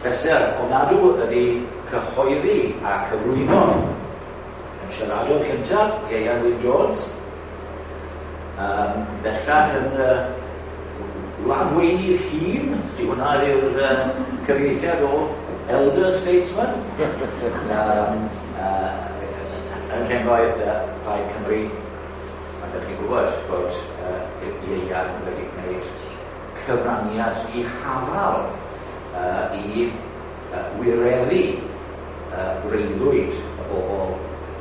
Pleser ofnadw ydy cyhoeddi a cyflwyno yn siaradwr cyntaf, Ieuan Wyn Jones. Bellach yn wladweinydd hŷn, di hwnna yw'r cyfieithiad o Elder Statesman. Yn rhengoedd Plaid Cymru, a ydych chi'n gwybod bod Ieuan wedi gwneud cyfraniad dihafal i wireddu breuddwyd y bobl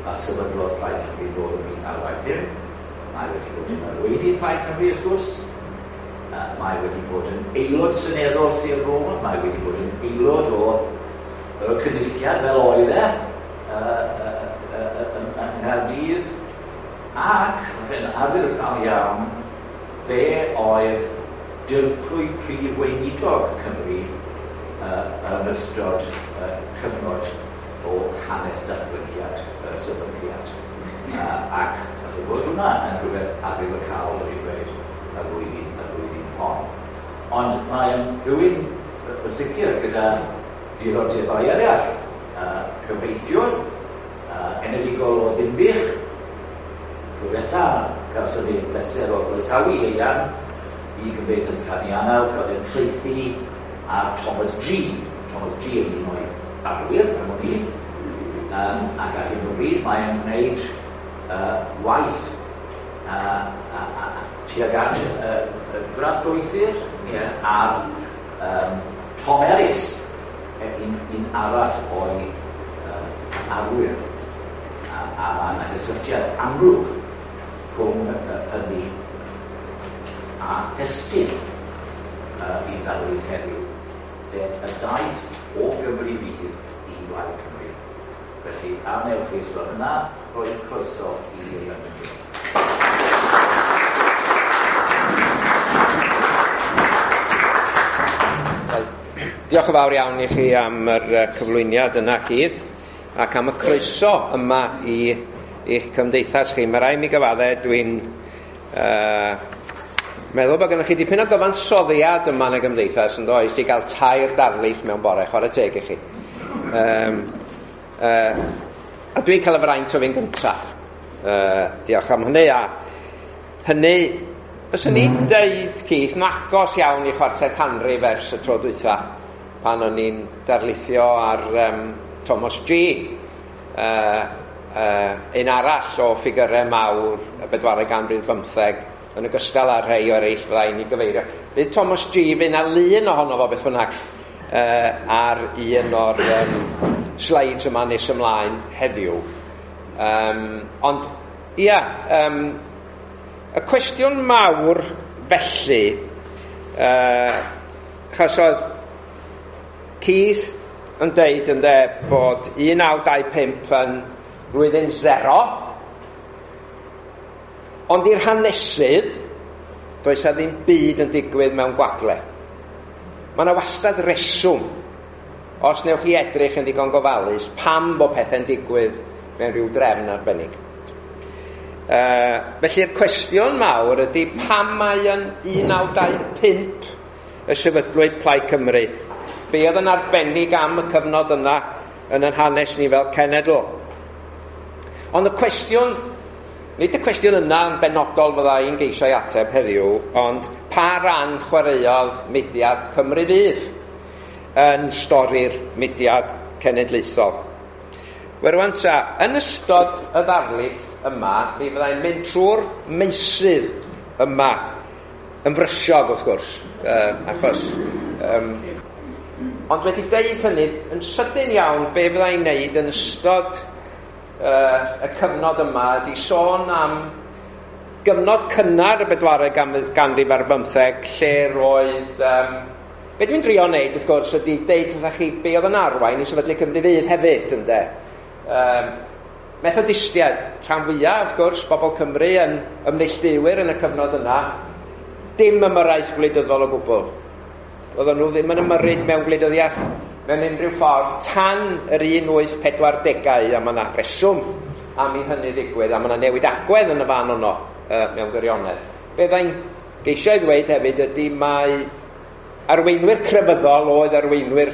a sefydlodd Plaid Cymru nôl yn 1985. Mae wedi bod yn arweinydd Plaid Cymru, wrth gwrs. Mae wedi bod yn aelod seneddol Sir Fôn, mae wedi bod yn aelod o y Cynulliad fel oedd e yng Nghaerdydd, ac yn arwyddocaol iawn, fe oedd dirprwy prif weinidog Cymru yn ystod cyfnod o hanes datblygiad y sefydliad. Ac falle bod hwnna yn rhywbeth arwyddocaol wedi dweud y flwyddyn hon. Ond mae'n rhywun yn sicr gyda diddordebau eraill, cyfreithiwr, enedigol o Ddinbych. Tro diwetha cawson ni bleser o groesawu Ieuan i Gymdeithas Canianaw, cael ei traethu ar Thomas G. Thomas G yn un o'i arwyr, am wn i. Ac ar hyn o bryd mae'n gwneud waith tuag at gradd doethur ar Tom Ellis, un arall o'i arwyr. A mae yna gysylltiad amlwg rhwng hynny a thestun i ddarlith heddiw, sef y daith o Gymru Fydd i Blaid Cymru. Felly, a wnewch chi, os gwelwch yn dda, rhoi croeso i Ieuan Wyn Jones. Wel, diolch yn fawr iawn i chi am yr cyflwyniad yna, Keith, ac am y croeso yma i eich cymdeithas chi. Mae rhaid mi gyfadde, dwi'n meddwl bod gennych chi dipyn o gyfansoddiad yma yn y gymdeithas, yn does, i gael 3 darlith mewn bore, chwarae teg i chi. A dwi'n cael y fraint o fynd gynta. Diolch am hynny, a hynny, fyswn i'n deud, Keith, nagos iawn i chwarter canrif ers y tro dwytha, pan o'n i'n darlithio ar Thomas G, un arall o ffigurau mawr y bedwaredd ganrif bymtheg, yn ogystal â rhai o eraill fyddai'n ei gyfeirio. Fydd Thomas G, fydd 'na lun ohono fo beth bynnag ar un o'r slides yma nes ymlaen heddiw. Ond, ia, y cwestiwn mawr felly, achos oedd Keith yn deud ynde bod 1925 yn flwyddyn 0, ond i'r hanesydd, does 'na ddim byd yn digwydd mewn gwagle. Mae yna wastad reswm, os newch chi edrych yn ddigon gofalus, pam bod pethau'n digwydd mewn rhyw drefn arbennig. Felly'r cwestiwn mawr ydy pam mae yn 1925 y sefydlwyd Plaid Cymru. Be oedd yn arbennig am y cyfnod yna yn ein hanes ni fel cenedl? Ond y cwestiwn, nid y cwestiwn yna yn benodol fydda i'n geisio ei ateb heddiw, ond pa ran chwaraeodd mudiad Cymru Fydd yn stori'r mudiad cenedlaethol? Wel rwan ta, yn ystod y ddarlith yma, mi fyddai'n mynd trwy'r meysydd yma, yn frysiog wrth gwrs, achos... Ond wedi deud hynny, yn sydyn iawn, be fyddai'n neud yn ystod y cyfnod yma ydy sôn am gyfnod cynnar y bedwaredd ganrif ar bymtheg, lle roedd... Be dwi'n drio wneud, wrth gwrs, ydy deud wrthych chi be oedd yn arwain i sefydlu Cymru Fydd hefyd, ynde. Methodistiaid, rhan fwyaf, wrth gwrs, bobl Cymru yn ymneilltuwyr yn y cyfnod yna, dim ymyrraeth gwleidyddol o gwbl. Oedden nhw ddim yn ymyrryd mewn gwleidyddiaeth mewn unrhyw ffordd tan yr 1840au, a mae yna reswm am i hynny ddigwydd, a mae yna newid agwedd yn y fan yno mewn gwirionedd. Be fyddai'n geisio i ddweud hefyd ydy mae arweinwyr crefyddol oedd arweinwyr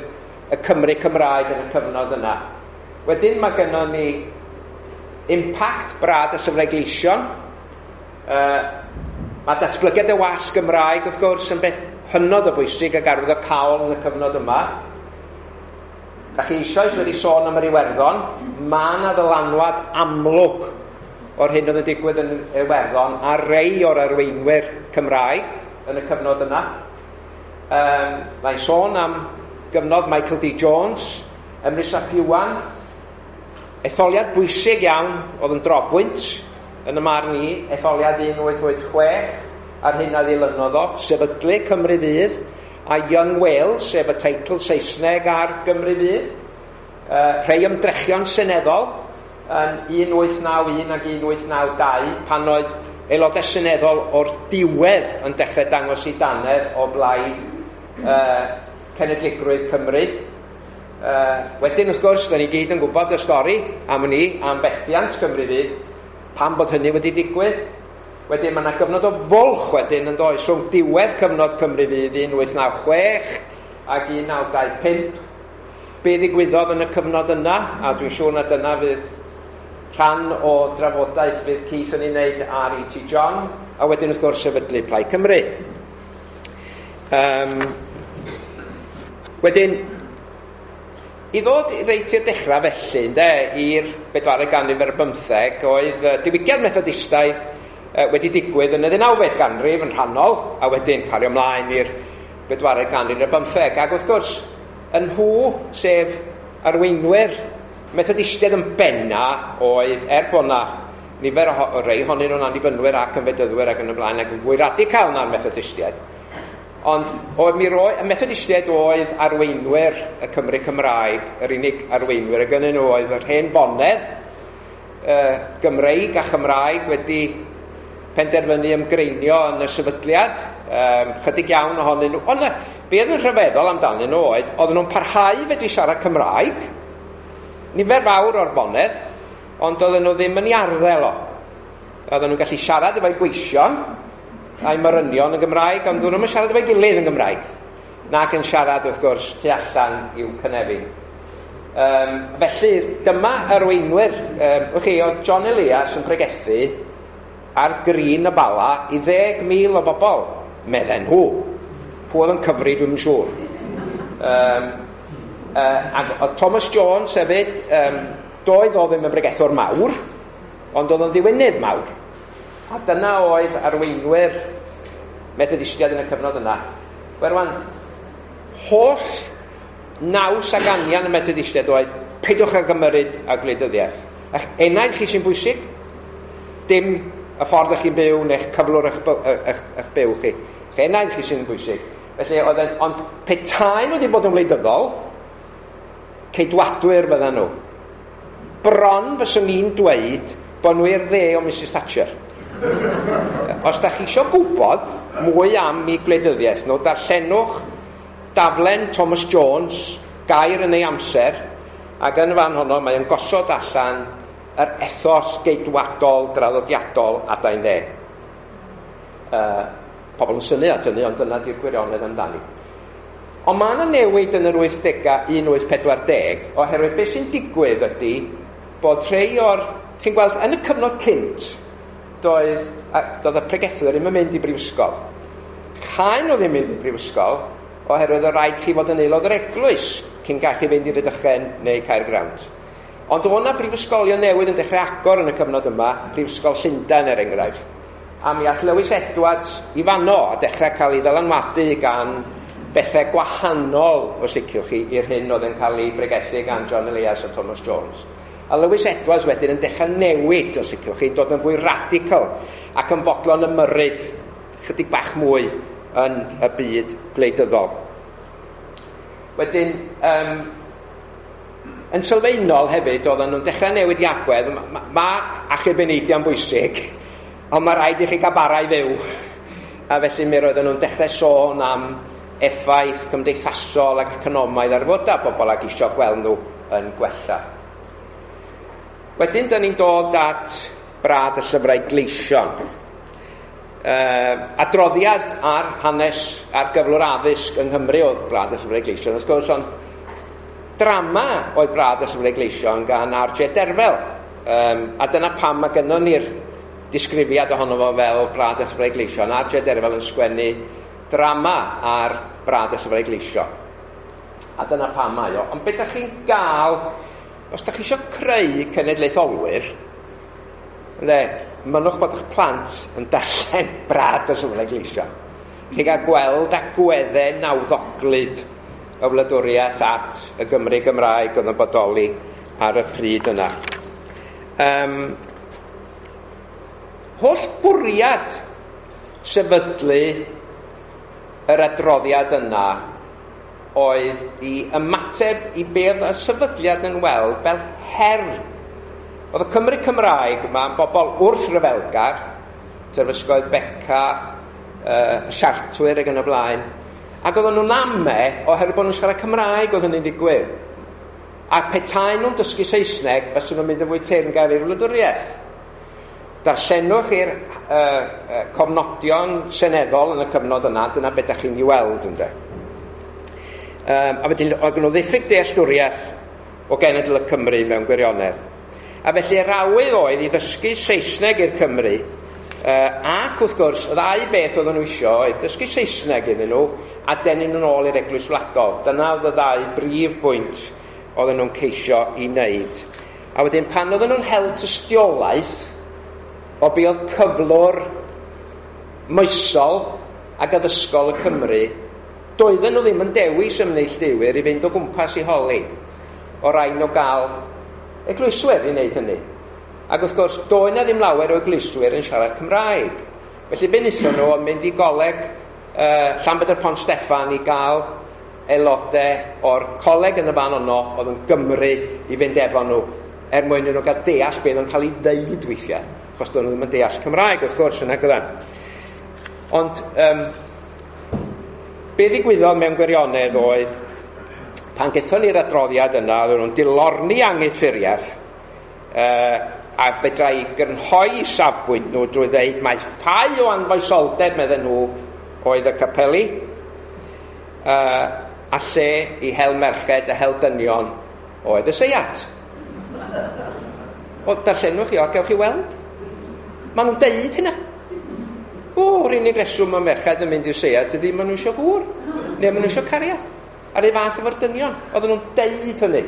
y Cymru Cymraeg yn y cyfnod yna. Wedyn mae gynnon ni impact Brad y Llyfrau Gleision. Mae datblygiad y wasg Gymraeg wrth gwrs yn beth hynod o bwysig ac arwyddocaol yn y cyfnod yma. Da chi eisoes wedi sôn am yr Iwerddon, mae yna ddylanwad amlwg o'r hyn oedd yn digwydd yn Iwerddon a rei o'r arweinwyr Cymraeg yn y cyfnod yna. Mae'n sôn am gyfnod Michael D. Jones, Emrys ap Iwan, etholiad bwysig iawn oedd yn drobwynt yn y marn i, etholiad 1886, a'r hyn a ddilynodd o, sefydlu Cymru Fydd, a Young Wales, sef y teitl Saesneg ar Gymru Fydd, rhai ymdrechion seneddol yn 1891 ac 1892, pan oedd aelodau seneddol o'r diwedd yn dechrau dangos i dannedd o blaid cenedligrwydd Cymru. Wedyn, wrth gwrs, da ni gyd yn gwybod y stori am ni, am fethiant Cymru Fydd, pam bod hynny wedi digwydd. Wedyn mae yna gyfnod o fwlch wedyn yn does, rhwng diwedd cyfnod Cymru Fydd 1896 ac 1925. Be ddigwyddodd yn y cyfnod yna, a dwi'n siŵr na dyna fydd rhan o drafodaeth fydd Keith yn ei wneud ar E.T. John, a wedyn wrth gwrs sefydlu Plaid Cymru. Wedyn, i ddod reit i'r dechrau felly, ynde, i'r bedwaredd ganrif ar bymtheg, oedd diwygiad Methodistaidd wedi digwydd yn y ddeunawfed ganrif yn rhannol, a wedyn cario ymlaen i'r bedwaredd ganrif ar bymtheg. Ac wrth gwrs, yn nhw, sef arweinwyr Methodistiaid yn benna, oedd, er bod na nifer o rei ohonyn nhw'n annibynwyr ac yn fedyddwyr ac yn y blaen, ac yn fwy radical na'r Methodistiaid. Ond oedd mi roi, y Methodistiaid oedd arweinwyr y Cymru Cymraeg, yr unig arweinwyr y gynnyn nhw oedd yr hen bonedd Gymreig a Chymraeg wedi penderfynu ymgreinio yn y sefydliad, chydig iawn ohonyn nhw. Ond be oedd yn rhyfeddol amdanyn nhw oedd, oedden nhw'n parhau fedru siarad Cymraeg, nifer fawr o'r bonedd, ond oedden nhw ddim yn ei arddel o. Oedden nhw'n gallu siarad efo'i gweision a'i morynion yn Gymraeg, ond oedden nhw'n siarad efo'i gilydd yn Gymraeg, nac yn siarad wrth gwrs tu allan i'w cynefin. Felly dyma arweinwyr. Chi, oedd John Elias yn pregethu ar Green y Bala i 10,000 o bobl, medden nhw. Pwy oedd yn cyfri, dwi'm yn siŵr. Ac oedd Thomas Jones hefyd, doedd o ddim yn bregethwr mawr, ond oedd o'n ddiwynydd mawr. A dyna oedd arweinwyr Methodistiaid yn y cyfnod yna. Wel rwan, holl naws ag anian y Methodistiaid oedd peidiwch ag ymyrryd â gwleidyddiaeth. A'ch enaid chi sy'n bwysig, dim y ffordd ych chi'n byw neu'ch cyflwr eich byw chi. A'ch enaid chi sy'n bwysig. Felly oedd yn, ond petai nhw wedi bod yn wleidyddol, ceidwadwyr fyddan nhw. Bron fyswn i'n dweud bod nhw i'r dde o Mrs Thatcher. Os da chi isio gwybod mwy am eu gwleidyddiaeth nhw, darllenwch daflen Thomas Jones, Gair yn ei amser, ac yn y fan honno mae o'n gosod allan yr ethos geidwadol draddodiadol adain dde. Pobl yn synnu at hynny, ond dyna di'r gwirionedd amdani. Ond mae yna newid yn yr 80au, 1840, oherwydd beth sy'n digwydd ydy bod rhai o'r... Chi'n gweld, yn y cyfnod cynt, doedd y pregethwyr ddim yn mynd i brifysgol. Chaen nhw ddim mynd i brifysgol, oherwydd o rhaid chi fod yn aelod o'r eglwys cyn gallu fynd i Rydychen neu Caergrawnt. Ond oedd yna brifysgolion newydd yn dechrau agor yn y cyfnod yma, Prifysgol Llundain er enghraifft. A mi ath Lewis Edwards i fanno a dechrau cael ei ddylanwadu gan bethau gwahanol, os liciwch chi, i'r hyn oedd yn cael ei bregethu gan John Elias a Thomas Jones. A Lewis Edwards wedyn yn dechrau newid, os liciwch chi, dod yn fwy radical ac yn fodlon ymyrryd chydig bach mwy yn y byd gwleidyddol. Wedyn, yn sylfaenol hefyd, oedden nhw'n dechrau newid i agwedd. Mae achub eneidiau'n bwysig, ond mae rhaid i chi gael bara i fyw. A felly mi roedden nhw'n dechrau sôn am effaith cymdeithasol ac economaidd ar fodau bobl ac isio gweld nhw yn gwella. Wedyn, da ni'n dod at Brad y Llyfrau Gleision. Adroddiad ar hanes ar gyflwr addysg yng Nghymru oedd Brad y Llyfrau Gleision, wrth gwrs, ond Drama oedd Brad y Llyfrau Gleision gan R.J. Derfel. A dyna pam mae gynnon ni'r disgrifiad ohono fo fel Brad y Llyfrau Gleision. R.J. Derfel yn sgwennu drama ar Brad y Llyfrau Gleision. A dyna pam mae o. Ond beth ydych chi'n gael, os ydych chi eisiau creu cenedlaetholwyr, ynde, mynnwch bod eich plant yn darllen Brad y Llyfrau Gleision. Chi'n cael gweld agweddau nawddoglyd y wladwriaeth at y Gymru Gymraeg oedd yn bodoli ar y pryd yna. Holl bwriad sefydlu yr adroddiad yna oedd i ymateb i beth y sefydliad yn weld fel her. Oedd y Cymru Cymraeg yma yn bobl wrth-ryfelgar, terfysgoedd Beca, Siartwyr ac yn y blaen, ac oedden nhw'n ame oherwydd bod nhw'n siarad Cymraeg oedd hynny'n digwydd. A petai nhw'n dysgu Saesneg, fysen nhw'n mynd yn fwy teyrngar i'r wladwriaeth. Darllenwch i'r cofnodion seneddol yn y cyfnod yna, dyna beth ydych chi'n ei weld, ynde. A wedyn, oedd nhw ddiffyg dealltwriaeth o genedl y Cymru mewn gwirionedd. A felly yr awydd oedd i ddysgu Saesneg i'r Cymru, ac wrth gwrs, y ddau beth oedden nhw isio oedd dysgu Saesneg iddyn nhw a denu nhw'n ôl i'r Eglwys Wladol. Dyna oedd y ddau brif bwynt oedden nhw'n ceisio i wneud. A wedyn pan oedden nhw'n hel tystiolaeth o be oedd cyflwr moesol ac addysgol y Cymru, doedden nhw ddim yn dewis ymneilltuwyr i fynd o gwmpas i holi, o rai nhw gael eglwyswyr i wneud hynny. Ac wrth gwrs, doedd 'na ddim lawer o eglwyswyr yn siarad Cymraeg. Felly be wnaethon nhw oedd mynd i goleg Llanbedr Pont Steffan i gael aelodau o'r coleg yn y fan yno oedd yn Gymru i fynd efo nhw er mwyn iddyn nhw gael deall beth oedd yn cael ei ddeud weithiau, achos doedden nhw ddim yn deall Cymraeg wrth gwrs yn agddan. Ond be ddigwyddodd mewn gwirionedd oedd pan gaethon ni'r adroddiad yna, oedden nhw'n dilorni anghydffuriaeth, a fedra i grynhoi safbwynt nhw drwy ddeud mai ffau o anfoesoldeb, medden nhw, oedd y capeli, a lle i hel merched a hel dynion oedd y seiat. O, darllenwch chi o, gewch chi weld. Maen nhw'n deud hynna. O, yr unig reswm mae merched yn mynd i'r seiat ydy maen nhw eisiau gŵr, neu maen nhw eisiau cariad. A'r un fath efo'r dynion. Oedden nhw'n deud hynny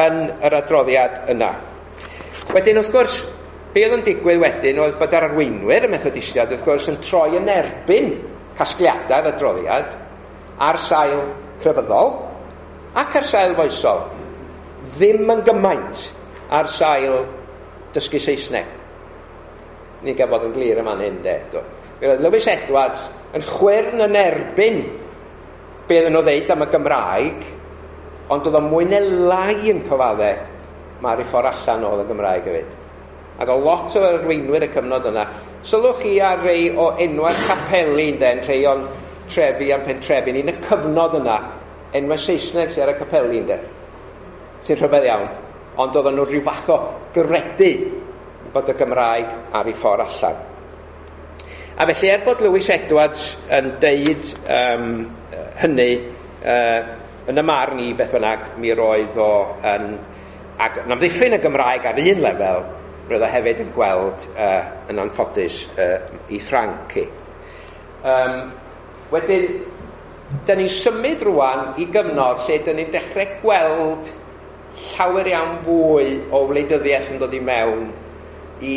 yn yr adroddiad yna. Wedyn, wrth gwrs, be oedd yn digwydd wedyn oedd bod yr arweinwyr y Methodistiaid, wrth gwrs, yn troi yn erbyn casgliadau'r adroddiad ar sail crefyddol ac ar sail foesol. Ddim yn gymaint ar sail dysgu Saesneg. Ni'n gael bod yn glir yma'n hyn, de. Roedd Lewis Edwards yn chwyrn yn erbyn be oedden nhw ddeud am y Gymraeg, ond oedd o mwy neu lai yn cyfadde mae'r ffordd allan oedd y Gymraeg hefyd. Ac o lot o arweinwyr y cyfnod yna. Sylwch chi ar rei o enwau'r capeli, ynde, yn rhei o'n trefi a'n pentrefi. Yn y cyfnod yna, enwau Saesneg sydd ar y capeli, ynde, sy'n rhyfedd iawn. Ond oedden nhw rhyw fath o gredu bod y Gymraeg ar ei ffordd allan. A felly, er bod Lewis Edwards yn deud hynny, yn y marn i beth bynnag, mi roedd o yn ac yn amddiffyn y Gymraeg ar un lefel, roedd o hefyd yn gweld yn anffodus i Ffranc hi. Wedyn, dyn ni'n symud rwan i gyfnod lle dyn ni'n dechrau gweld llawer iawn fwy o wleidyddiaeth yn dod i mewn i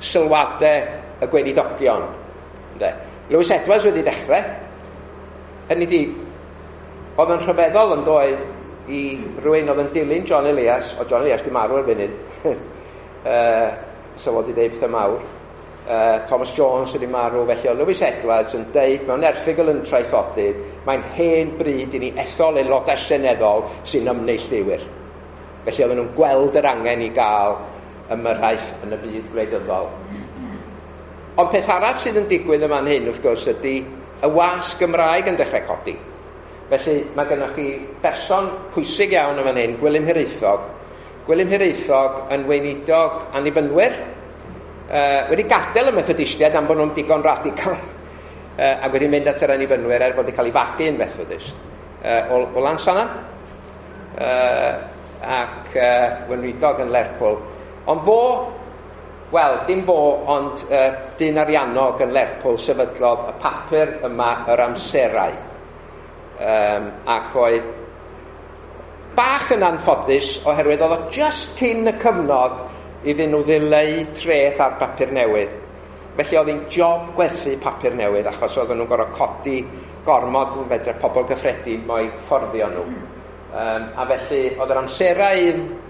sylwadau y gweinidogion. Ynde? Lewis Edwards wedi dechrau. Hynny di, oedd yn rhyfeddol yn doedd i rywun oedd yn dilyn John Elias, o John Elias di marw erbyn hyn, so fod i ddeud pethau mawr, Thomas Jones wedi marw, felly oedd Lewis Edwards yn deud mewn erthygl yn Traethodydd, mae'n hen bryd i ni ethol aelodau seneddol sy'n ymneilltuwyr. Felly oedden nhw'n gweld yr angen i gael ymyrraeth yn y byd gwleidyddol. Ond peth arall sydd yn digwydd yma'n hyn, wrth gwrs, ydy y wasg Gymraeg yn dechrau codi. Felly mae gennych chi berson pwysig iawn yn fan hyn, Gwilym Hiraethog. Gwilym Hiraethog yn weinidog Annibynwyr, wedi gadael y Methodistiaid am bod nhw'n digon radical, ac wedi mynd at yr Annibynwyr er bod wedi cael ei fagu yn Methodist, o Lansannan. Ac weinidog yn Lerpwl. Ond fo, wel, dim fo, ond dyn ariannog yn Lerpwl sefydlodd y papur yma, Yr Amserau. Ac oedd bach yn anffodus oherwydd oedd o just cyn y cyfnod iddyn nhw ddileu treth ar bapur newydd. Felly oedd hi'n job gwerthu papur newydd achos oedden nhw'n gorfod codi gormod yn fedra pobl gyffredin mo'i fforddio nhw. A felly oedd yr Amserau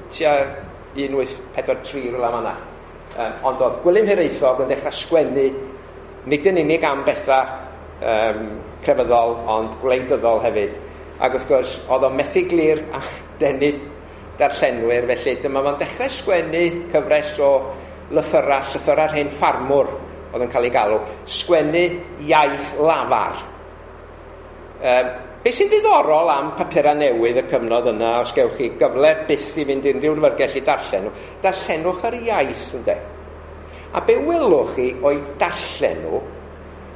tua 1843 rhywle fan'na. Ond oedd Gwilym Hiraethog yn dechrau sgwennu nid yn unig am bethau crefyddol ond gwleidyddol hefyd. Ac wrth gwrs oedd o'n methu glir a denu darllenwyr, felly dyma fo'n dechrau sgwennu cyfres o lythyrau, llythyrau'r hen ffarmwr oedd yn cael ei galw, sgwennu iaith lafar. Be sy'n ddiddorol am papurau newydd y cyfnod yna, os gewch chi gyfle byth i fynd unrhyw lyfrgell i darllen nhw, darllenwch yr iaith, ynde. A be welwch chi o'i darllen nhw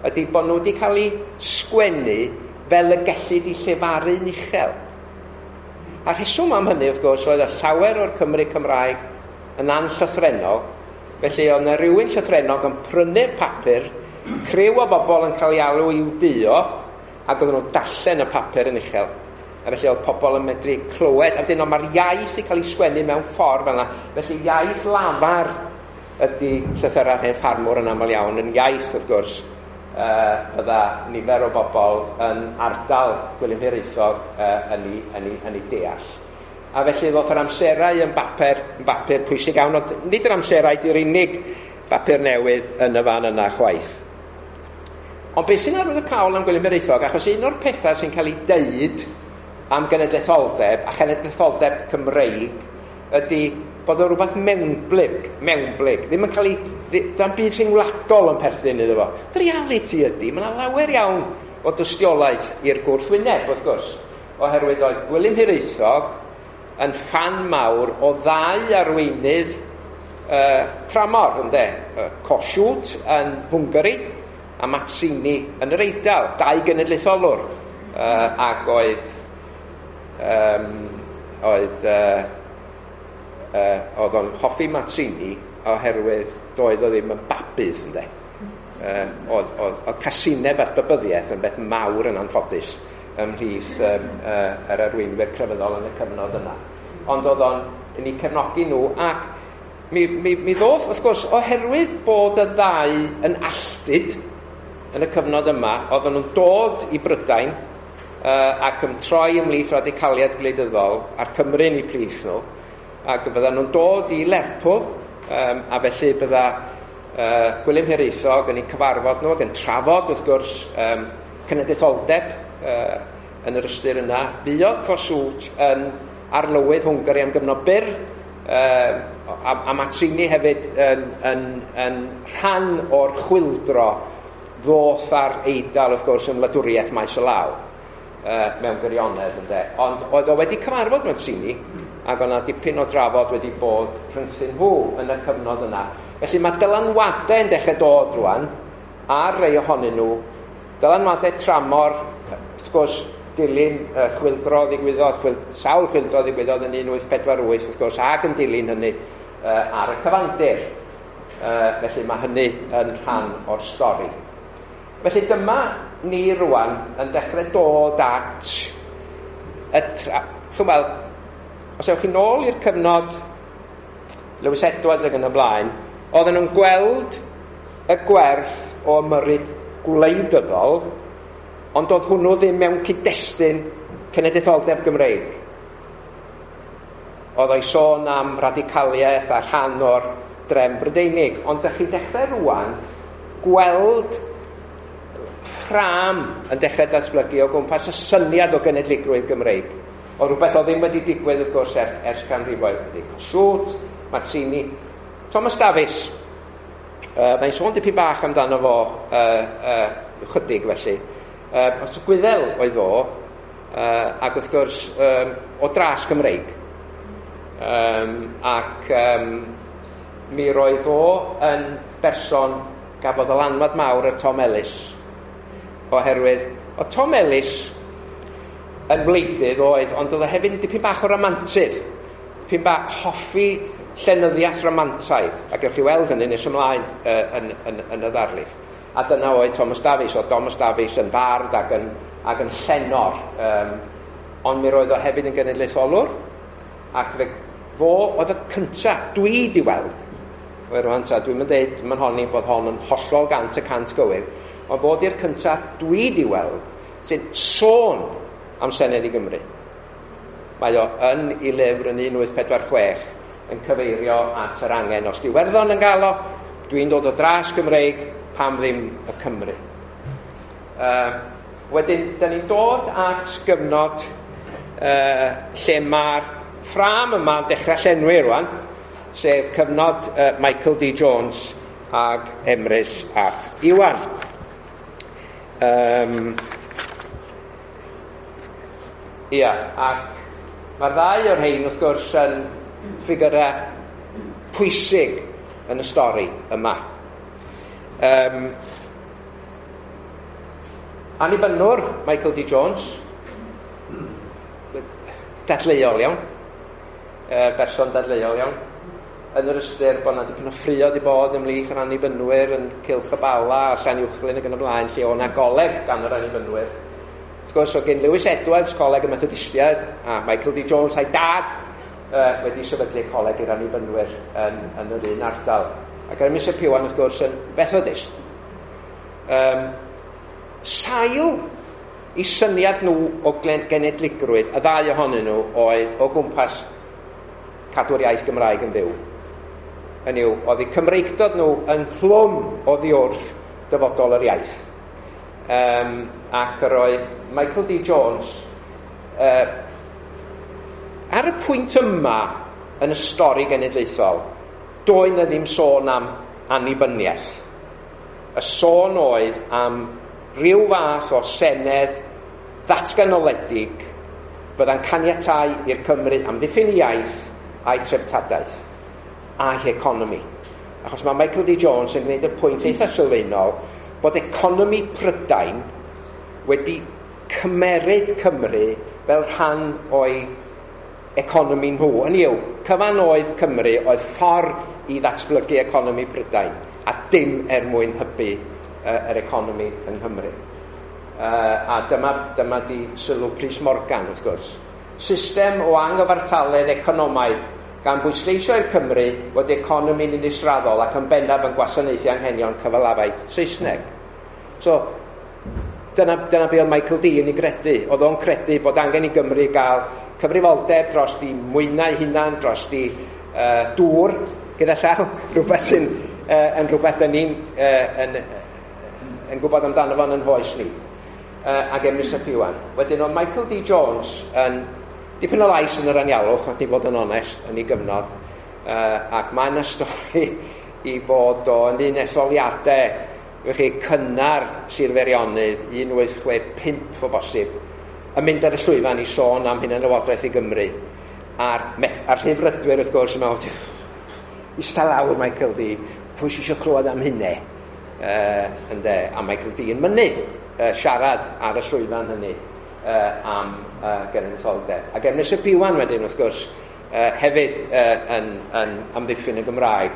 ydy bod nhw wedi cael eu sgwennu fel y gellid i llefaru'n uchel. A rheswm am hynny, wrth gwrs, oedd y llawer o'r Cymry Cymraeg yn anllythrennog, felly oedd yna rhywun llythrennog yn prynu'r papur, criw o bobl yn cael ei alw i'w duo, ac oedden nhw'n darllen y papur yn uchel. A felly oedd pobl yn medru clywed, a wedyn mae'r iaith i cael ei sgwennu mewn ffordd fel yna. Felly iaith lafar ydy llythyrau'r hen ffarmwr yn aml iawn, yn iaith, wrth gwrs, bydda nifer o bobl yn ardal Gwilym Hiraethog yn ei deall. A felly ddoth yr Amserau yn bapur pwysig iawn, ond nid yr Amserau di'r unig bapur newydd yn y fan yna chwaith. Ond beth sy'n arwyddocaol am Gwilym Hiraethog, achos un o'r pethau sy'n cael ei deud am genedlaetholdeb a chenedlaetholdeb Cymreig ydy bod o rhywbeth mewnblyg, ddim yn cael ei, dan byd rhyngwladol yn perthyn iddo fo. The reality ydy, mae yna lawer iawn o dystiolaeth i'r gwrthwyneb, wrth gwrs, oherwydd oedd Gwilym Hiraethog yn ffan mawr o ddau arweinydd tramor, ynde? Kossuth yn Hwngari a Mazzini yn yr Eidal, dau genedlaetholwr, ac oedd o'n hoffi Mazzini oherwydd doedd o ddim yn babydd, ynde. Oedd casineb at babyddiaeth yn beth mawr yn anffodus ymhlith yr arweinwyr crefyddol yn y cyfnod yna. Ond oedd o'n yn eu cefnogi nhw ac mi ddoth, wrth gwrs, oherwydd bod y ddau yn alltud yn y cyfnod yma, oedden nhw'n dod i Brydain ac yn troi ymhlith radicaliaid gwleidyddol a'r Cymru'n eu plith nhw, ac bydden nhw'n dod i Lerpwl, a felly bydda Gwilym Hiraethog yn eu cyfarfod nhw ac yn trafod, wrth gwrs, cenedlaetholdeb yn yr ystyr yna. Fuodd Kossuth yn arlywydd Hwngari am gyfnod byr, a Mazzini hefyd yn rhan o'r chwildro ddoth ar Eidal, wrth gwrs, yn wladwriaeth maes o law, mewn gwirionedd, ynde. Ond oedd o wedi cyfarfod Mazzini, ac o'na dipyn o drafod wedi bod rhyngthyn nhw yn y cyfnod yna. Felly mae dylanwadau yn dechrau dod rwan, ar rei ohonyn nhw, dylanwadau tramor, wrth gwrs, dilyn chwildro ddigwyddodd, sawl chwildro ddigwyddodd yn 1848, wrth gwrs, ac yn dilyn hynny ar y cyfandir. Felly mae hynny yn rhan o'r stori. Felly dyma ni rwan yn dechrau dod at y Chwbel, os ewch chi nôl i'r cyfnod Lewis Edwards ac yn y blaen, oedden nhw'n gweld y gwerth o ymyrryd gwleidyddol, ond oedd hwnnw ddim mewn cyd-destun cenedlaetholdeb Gymreig. Oedd o'i sôn am radicaliaeth a rhan o'r drefn Brydeinig, ond ydych chi'n dechrau rwan gweld ffrâm yn dechrau datblygu o gwmpas y syniad o genedligrwydd Gymreig. O rhywbeth oedd ddim wedi digwydd, wrth gwrs, ers canrifoedd. Wedi Kossuth, Mazzini, Thomas Davies. Mae'n sôn dipyn bach amdano fo chydig felly. Os Gwyddel oedd o, ac wrth gwrs o dras Gymreig. Ac mi roedd o yn berson gafodd ddylanwad mawr ar Tom Ellis. Oherwydd, o Tom Ellis yn wleidydd oedd, ond oedd o hefyd yn dipyn bach o ramantydd, dipyn bach hoffi llenyddiaeth ramantaidd, a gewch chi weld hynny nes ymlaen yn y ddarlith. A dyna oedd Thomas Davies. Oedd Thomas Davies yn fardd ac yn llenor, ond mi roedd o hefyd yn genedlaetholwr, ac fo oedd y cynta dwi di weld. Rwan ta, dwi'n mynd deud, mae'n honni bod hon yn hollol 100% gywir, ond fod i'r cynta dwi di weld sy'n sôn am Senedd i Gymru. Mae o yn ei lyfr yn 1846 yn cyfeirio at yr angen. Os di Iwerddon yn gael o, dwi'n dod o dras Gymreig, pam ddim y Cymru. Wedyn, da ni'n dod at gyfnod lle mae'r ffrâm yma'n dechrau llenwi rwan, sef cyfnod Michael D. Jones ag Emrys ap Iwan. Ia, ac mae'r ddau o'r rhain wrth gwrs yn ffigurau pwysig yn y stori yma. Annibynnwr Michael D. Jones, dadleuol iawn, berson dadleuol iawn, yn yr ystyr bod yna dipyn o ffrio di bod ymhlith yr annibynwyr yn Cylch y Bala a Llanuwchllyn ac yn y blaen, lle o'na goleg gan yr annibynwyr. Wrth gwrs, oedd gen Lewis Edwards, Coleg y Methodistiaid, a Michael D. Jones a'i dad wedi sefydlu coleg i'r annibynwyr yn yr un ardal. Ac Emrys ap Iwan, wrth gwrs, yn Methodist. Sail i syniad nhw o genedligrwydd, y ddau ohonyn nhw, oedd o gwmpas cadw'r iaith Gymraeg yn fyw. Hynny yw, oedd eu Cymreictod nhw ynghlwm oddi wrth dyfodol yr iaith. Ac yr oedd Michael D. Jones ar y pwynt yma yn y stori genedlaethol, doedd na ddim sôn am annibyniaeth. Y sôn oedd am ryw fath o senedd ddatganoledig bydda'n caniatáu i'r Cymru amddiffyn iaith a'i treftadaeth a'i heconomi. Achos mae Michael D. Jones yn gwneud y pwynt eitha sylfaenol bod economi Prydain wedi cymeryd Cymru fel rhan o'i economi nhw. Hynny yw, cyfan oedd Cymru oedd ffordd i ddatblygu economi Prydain a dim er mwyn hybu yr economi yng Nghymru. A dyma di sylw Prys Morgan, wrth gwrs. System o anghyfartaledd economaidd gan bwysleisio i'r Cymru fod economi'n un israddol ac yn bennaf yn gwasanaethu anghenion cyfalafaeth Saesneg. So, dyna be oedd Michael D yn ei gredu. Oedd o'n credu bod angen i Gymru gael cyfrifoldeb dros di mwynau hunan, dros di dŵr gyda llaw, rhywbeth sy'n yn rhywbeth dyn ni'n yn gwybod amdano fo'n yn hoes ni. Ac Emrys ap Iwan. Wedyn oedd Michael D. Jones yn dipyn o lais yn yr anialwch, nath ni fod yn onest, yn ei gyfnod, ac mae yna stori i bod o yn un etholiadau, chi, cynnar Sir Feirionnydd, 1865 o bosib, yn mynd ar y llwyfan i sôn am hunanlywodraeth i Gymru. A'r rhyddfrydwyr, wrth gwrs, yn meddwl, ista lawr Michael D, pwy sy eisiau clywed am hynny? Ynde, a Michael D yn mynnu siarad ar y llwyfan hynny am genedlaetholdeb. Ac Emrys ap Iwan wedyn, wrth gwrs, hefyd yn amddiffyn y Gymraeg.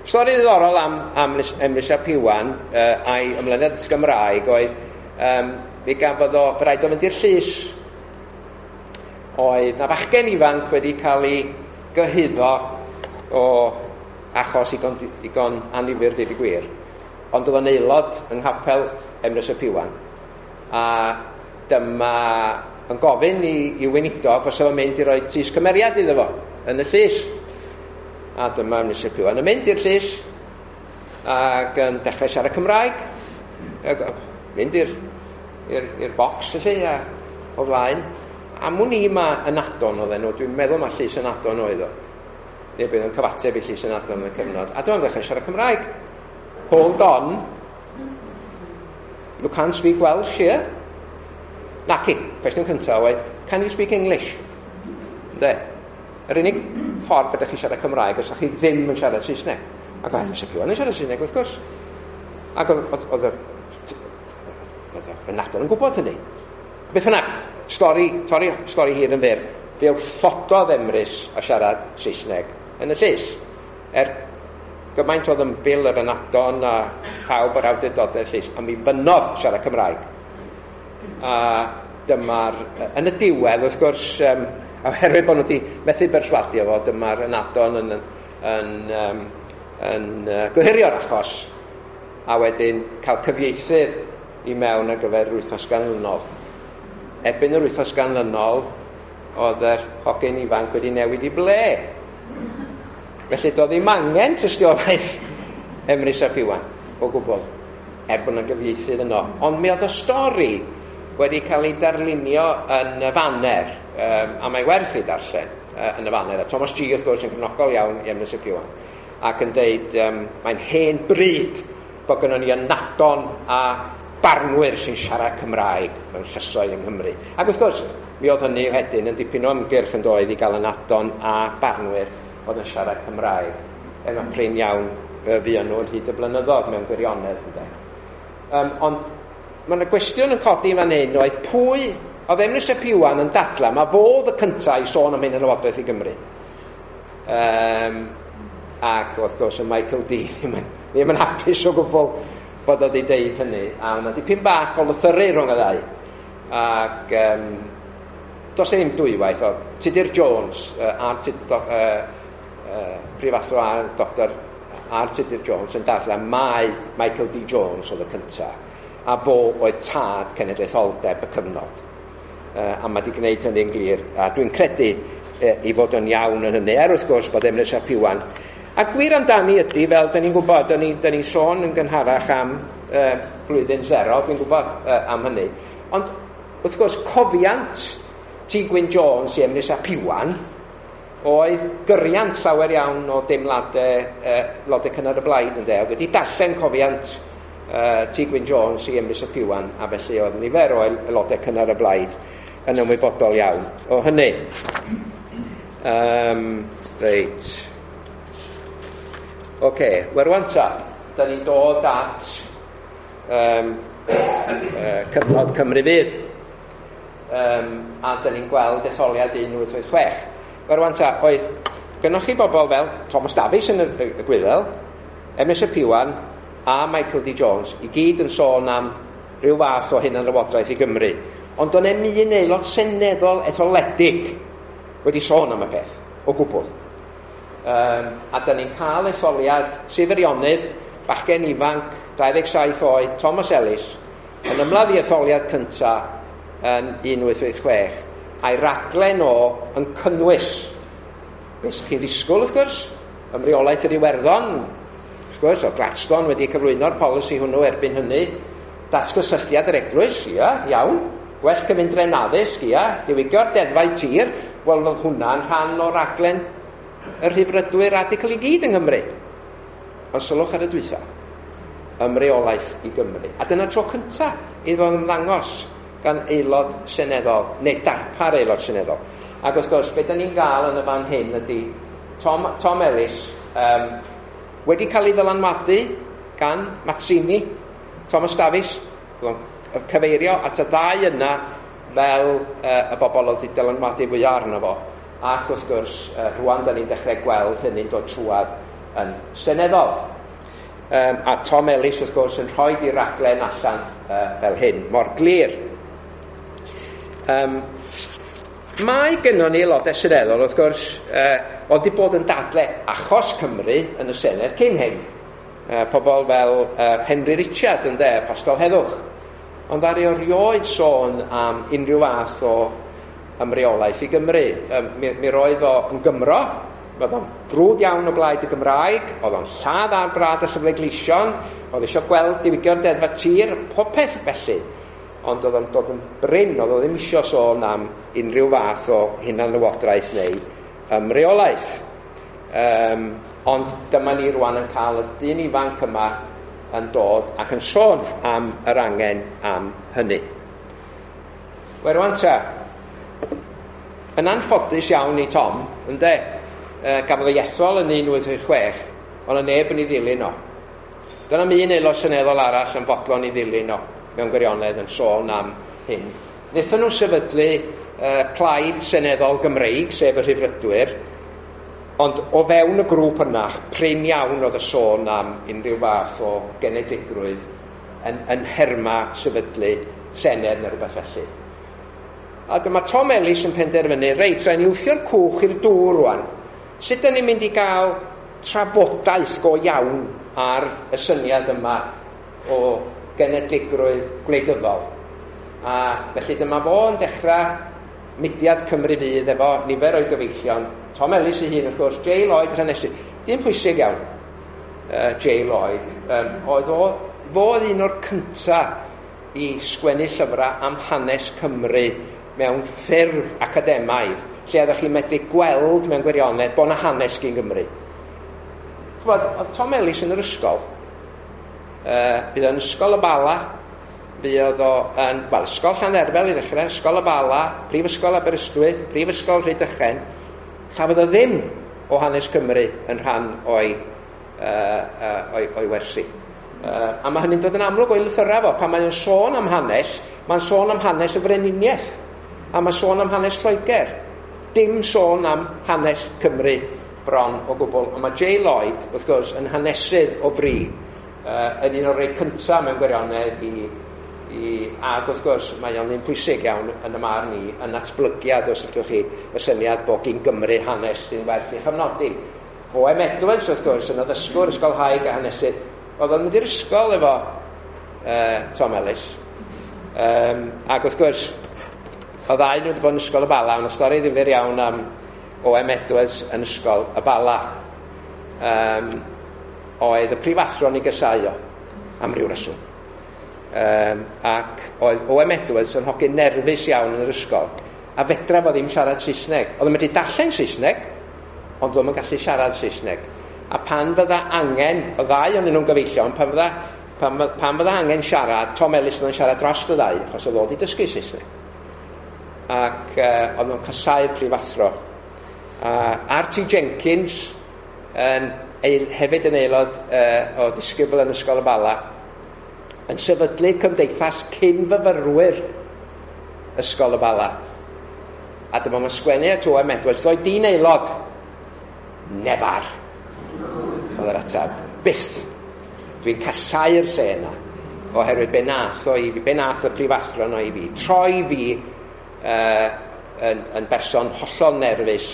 Stori ddiddorol am Emrys ap Iwan a'i ymlyniad at y Gymraeg oedd mi gafodd o, fe raid o fynd i'r llys. Oedd na fachgen ifanc wedi cael ei gyhuddo o achos igon annifyr, deud y gwir. Ond oedd o'n aelod yng nghapel Emrys ap Iwan. A dyma yn gofyn i weinidog os oedd o'n mynd i roi tys cymeriad iddo fo yn y llys. A dyma Emrys ap Iwan yn mynd i'r llys ac yn dechrau siarad Cymraeg. Mynd i'r bocs felly a o flaen. A mwyn i ma ynadon oedd enw, dwi'n meddwl ma llys ynadon oedd o. Neu bydd yn cyfateb i llys ynadon yn y cyfnod. A dyma'n dechrau siarad Cymraeg. Hold on. You can't speak Welsh here. Naci, cwestiwn cyntaf oedd, can you speak English? Ynde? Yr unig ffordd bydych chi siarad Cymraeg os ydych chi ddim yn siarad Saesneg. Ac oedd Emrys ap Iwan yn siarad Saesneg, wrth gwrs. Ac oedd y ynadon yn gwybod hynny. Beth bynnag, Stori, torri, stori hir yn fyr, fe wrthododd Emrys a siarad Saesneg yn y llys. Gymaint oedd ymbil yr ynadon a phawb o'r awdurdodau llys, a mi fynnodd siarad Cymraeg. A dyma'r, yn y diwedd, wrth gwrs, oherwydd bod nhw wedi methu berswadio fo, dyma'r ynadon yn gohirio'r achos, a wedyn cael cyfieithydd i mewn ar gyfer yr wythnos ganlynol. Erbyn yr wythnos ganlynol, oedd yr hogyn ifanc wedi newid i ble. Felly doedd ddim angen tystiolaeth Emrys ap Iwan o gwbl, er bod yna gyfieithydd yno. Ond mi oedd y stori wedi cael ei darlunio yn y Faner, a mae werth ei darllen yn y Faner. A Thomas G wrth gwrs yn cefnogol iawn i Emrys ap Iwan, ac yn deud mae'n hen bryd bod gynnon ni ynadon a barnwyr sy'n siarad Cymraeg mewn llysoedd yng Nghymru. Ac wrth gwrs, mi oedd hynny wedyn yn dipyn o ymgyrch yn doedd i gael ynadon a barnwyr oedd yn siarad Cymraeg. Er mae prin iawn fuon nhw yn hyd y blynyddoedd mewn gwirionedd, ynde. Ond mae yna gwestiwn yn codi fan hyn oedd pwy oedd Emrys ap Iwan yn dadla, mae fo oedd y cyntaf i sôn am hyn yn Lywodraeth i Gymru. Ac wrth gwrs y Michael D ddim yn hapus o gwbl bod o wedi deud hynny. A yna dipyn bach o lythyru rhwng y ddau. Ac does e ddim dwywaith, oedd Tudur Jones, prifathro a Dr R Tudur Jones yn dadlau mai Michael D Jones oedd y cyntaf, a fo oedd tad cenedlaetholdeb y cyfnod. A mae wedi gwneud hynny'n glir, a dwi'n credu i fod yn iawn yn hynny, er wrth gwrs bod Emrys ap Iwan. A gwir amdani ydy, fel da ni'n gwybod, da ni'n sôn yn gynharach am blwyddyn zero, dwi'n gwybod am hynny. Ond wrth gwrs, cofiant T Gwyn Jones i Emrys ap Iwan oedd gyriant llawer iawn o deimladau aelodau cynnar y blaid, ynde. Oedd wedi darllen cofiant T Gwyn Jones i Emrys ap Iwan, a felly oedd nifer o aelodau cynnar y blaid yn ymwybodol iawn o hynny. Reit. Oce, wel rwan ta, da ni'n dod at cyfnod Cymru Fydd. A da ni'n gweld etholiad 1886. Wel rwan ta, oedd gynnwch chi bobl fel Thomas Davies yn y Gwyddel, Emrys ap Iwan a Michael D Jones, i gyd yn sôn am rhyw fath o hunanlywodraeth i Gymru. Ond do'n i'm un aelod seneddol etholedig wedi sôn am y peth, o gwbl. A da ni'n cael etholiad Sir Feirionnydd, bachgen ifanc, 27 oed, Thomas Ellis, yn ymladd i etholiad cynta yn 1886, a'i raglen o yn cynnwys beth chi'n ddisgwyl, wrth gwrs, ymreolaeth yr Iwerddon, wrth gwrs, o Gladstone wedi cyflwyno'r polisi hwnnw erbyn hynny, datgysylltiad yr eglwys, ia, iawn, gwell cyfundrefn addysg, ia, diwygio'r deddfau tir, wel, oedd hwnna'n rhan o raglen y rhyddfrydwyr radical i gyd yng Nghymru. Ond sylwch ar y dwytha, ymreolaeth i Gymru. A dyna tro cynta iddo ymddangos gan aelod seneddol, neu darpar aelod seneddol. Ac wrth gwrs, beth da ni'n gael yn y fan hyn ydy Tom Ellis wedi cael ei ddylanwadu gan Mazzini, Thomas Davies, cyfeirio at y ddau yna fel y bobl oedd wedi dylanwadu fwyaf arno fo. Ac wrth gwrs, rwan da ni'n dechrau gweld hynny'n dod trwadd yn seneddol. A Tom Ellis, wrth gwrs, yn rhoi di raglen allan fel hyn, mor glir. Mae gynnon ni aelodau seneddol, wrth gwrs, oedd wedi bod yn dadle achos Cymru yn y Senedd cyn hyn. Pobl fel Henry Richard, ynde, Apostol Heddwch. Ond ar ei erioed sôn am unrhyw fath o ymreolaeth i Gymru. Mi roedd o yn Gymro, oedd o'n frwd iawn o blaid y Gymraeg, oedd o'n lladd ar brad y llyfrau gleision, oedd eisiau gweld diwygio'r deddfa tir, popeth felly. Ond oedd o'n dod yn brin, oedd o ddim isio sôn am unrhyw fath o hunanlywodraeth neu ymreolaeth. Ond dyma ni rwan yn cael y dyn ifanc yma yn dod ac yn sôn am yr angen am hynny. Wel rwan ta, yn anffodus iawn i Tom, ynde, gafodd ei ethol yn 1886, ond y neb yn ei ddilyn o. Dyna un aelod seneddol arall yn fodlon i ddilyn o, mewn gwirionedd yn sôn am hyn Wnaethon nhw sefydlu Plaid Seneddol Gymreig, sef y Rhyddfrydwyr, ond o fewn y grŵp yna, prin iawn oedd y sôn am unrhyw fath o genedligrwydd yn nherma sefydlu senedd neu rhywbeth felly. A dyma Tom Ellis yn penderfynu, reit, rhaid ni wthio'r cwch i'r dŵr rwan. Sut ydyn ni'n mynd i gael trafodaeth go iawn ar y syniad yma o genedligrwydd gwleidyddol? A felly dyma fo yn dechrau mudiad Cymru Fydd efo nifer o'i gyfeillion. Tom Ellis ei hun, wrth gwrs, J Lloyd yr hanesydd. Dim pwysig iawn, J Lloyd. Oedd o, fo oedd un o'r cyntaf i sgwennu llyfrau am hanes Cymru mewn ffurf academaidd, lle oeddech chi'n medru gweld mewn gwirionedd bod 'na hanes gyn Gymru. Ch'bod, oedd Tom Ellis yn yr ysgol, bydd o'n Ysgol y Bala, fuodd o yn, wel, Ysgol Llandderfel i ddechrau, Ysgol y Bala, Prifysgol Aberystwyth, Prifysgol Rhydychen. Chafodd o ddim o hanes Cymru yn rhan o'i wersi. A mae hynny'n dod yn amlwg o'i lythyrau fo. Pan mae'n sôn am hanes, mae'n sôn am hanes y frenhiniaeth, a mae'n sôn am hanes Lloegr. Dim sôn am hanes Cymru bron o gwbl. Ond mae J Lloyd, wrth gwrs, yn hanesydd o fri, yn un o'r rhai cyntaf mewn gwirionedd ac wrth gwrs mae o'n un pwysig iawn yn y marn i, yn natblygiad, os ydych chi, y syniad bod gyn Gymru hanes sy'n werth ei chyfnodi. O.M. Edwards, wrth gwrs, yn addysgwr ysgolhaig a hanesydd, oedd o'n mynd i'r ysgol efo Tom Ellis. Ac wrth gwrs, oedd ddau nhw wedi bod yn Ysgol y Bala, ond y stori ddifyr iawn am O.M. Edwards yn Ysgol y Bala. Oedd y prifathro'n ei gysau o, am ryw reswm. Ac oedd O.M. Edwards yn hogyn nerfus iawn yn yr ysgol, a fedra fo ddim siarad Saesneg. Oedd o'n medru darllen Saesneg, ond oedd o'n gallu siarad Saesneg. A pan fydda angen, o ddau o'n nhw'n gyfeillion, pan fydda angen siarad, Tom Ellis oedd yn siarad dros y ddau, achos oedd o wedi dysgu Saesneg. Ac oedd nhw'n casau'r prifathro. R.T. Jenkins, hefyd yn aelod o ddisgybl yn Ysgol y Bala, yn sefydlu cymdeithas cyn-fyfyrwyr Ysgol y Bala. A dyma mae'n sgwennu at O.M. Edwards, ddoi di'n aelod? Nefar, oedd yr ateb. Byth. Dwi'n casau'r lle yna, oherwydd be nath o i fi, be nath y prifathro yno i fi. Troi fi yn berson hollol nerfus,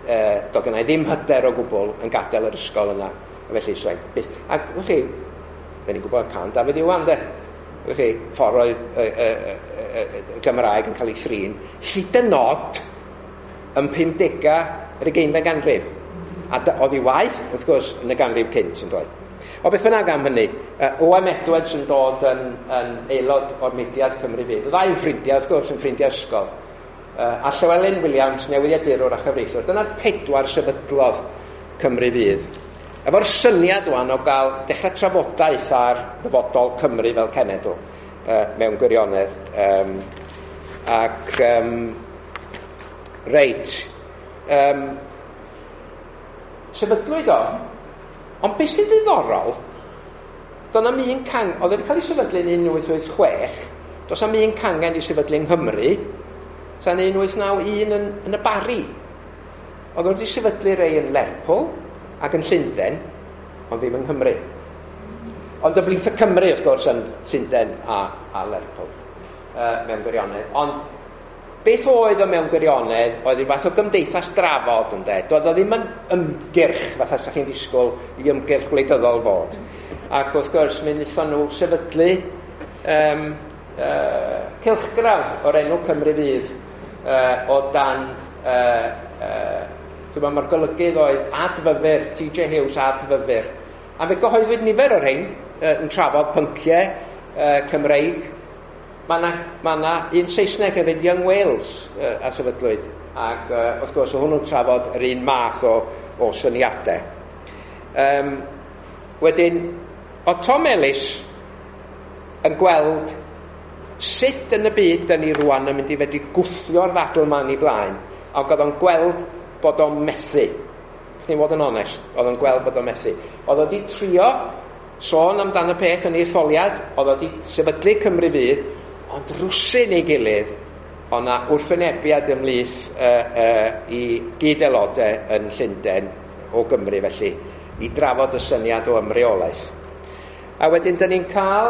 do gynna i ddim hyder o gwbl yn gadael yr ysgol yna. A felly, so, byth. Ac, wch chi, da ni'n gwybod can Dafydd Iwan, de. Wch chi, ffordd oedd y Gymraeg yn cael ei thrin, hyd yn oed yn 50au yr 20fed ganrif. A oedd ei waith, wrth gwrs, yn y ganrif cynt yn dod. O beth bynnag am hynny, O.M. Edwards yn dod yn aelod o'r mudiad Cymru Fydd. Y ddau yn ffrindiau, wrth gwrs, yn ffrindiau ysgol. A Llywelyn Williams, newyddiadurwr a chyfreithiwr. Dyna'r pedwar sefydlodd Cymru Fydd. Efo'r syniad wan o gael dechrau trafodaeth ar ddyfodol Cymru fel cenedl mewn gwirionedd. Reit, sefydlwyd o, ond beth sy'n ddiddorol, doedd na'm un cangen, oedd wedi cael ei sefydlu yn 1886, does na'm un cangen i sefydlu yng Nghymru, tan 1891 yn y Barri. Oedd wedi sefydlu rei yn Lerpwl ac yn Llundain, ond ddim yng Nghymru. Ond ymhlith y Cymru, wrth gwrs, yn Llundain a Lerpwl, mewn gwirionedd. Ond beth oedd o mewn gwirionedd oedd rhyw fath o gymdeithas drafod, ynde. Doedd o ddim yn ymgyrch, fatha sa chi'n disgwyl i ymgyrch gwleidyddol fod. Ac wrth gwrs, mi wnaethon nhw sefydlu cylchgrawn o'r enw Cymru Fydd o dan... Dwi'n meddwl mae'r golygydd oedd Adfyfyr, T.J. Hughes Adfyfyr. A fe gyhoeddwyd nifer o'r rhain yn trafod pynciau Cymreig. Mae yna un Saesneg hefyd, Young Wales, a sefydlwyd. Ac wrth gwrs, oedd hwnnw'n trafod yr un math o syniadau. Wedyn, oedd Tom Ellis yn gweld sut yn y byd dyn ni rwan yn mynd i fedru gwthio'r ddadl yma yn ei blaen. Ac oedd o'n gweld bod o'n methu. Chni fod yn onest, oedd o'n gweld bod o'n methu. Oedd o wedi trio sôn amdan y peth yn ei etholiad, oedd o wedi sefydlu Cymru Fydd, ond rwsyn ei gilydd, Ond na wrthwynebiad ymhlith i gyd-aelodau yn Llundain o Gymru felly, i drafod y syniad o ymreolaeth. A wedyn, dyn ni'n cael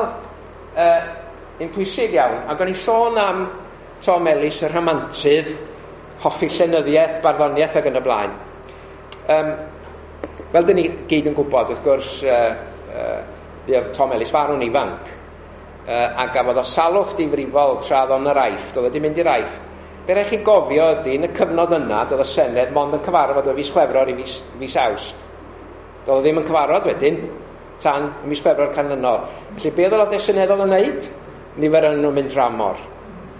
un pwysig iawn, ac o'n i'n sôn am Tom Ellis, y rhamantydd, hoffi llenyddiaeth, barddoniaeth ac yn y blaen. Fel dyn ni gyd yn gwybod, wrth gwrs, fuodd Tom Ellis farw'n ifanc, a gafodd o salwch difrifol tra oedd o'n yr Aifft, oedd wedi mynd i'r Aifft. Be rhaid chi gofio ydy, yn y cyfnod yna, doedd y Senedd mond yn cyfarfod o fis Chwefror i fis Awst. Doedd o ddim yn cyfarfod wedyn, tan y mis Chwefror canlynol. Felly, be oedd aelodau seneddol yn wneud? Nifer yn nhw'n mynd dramor.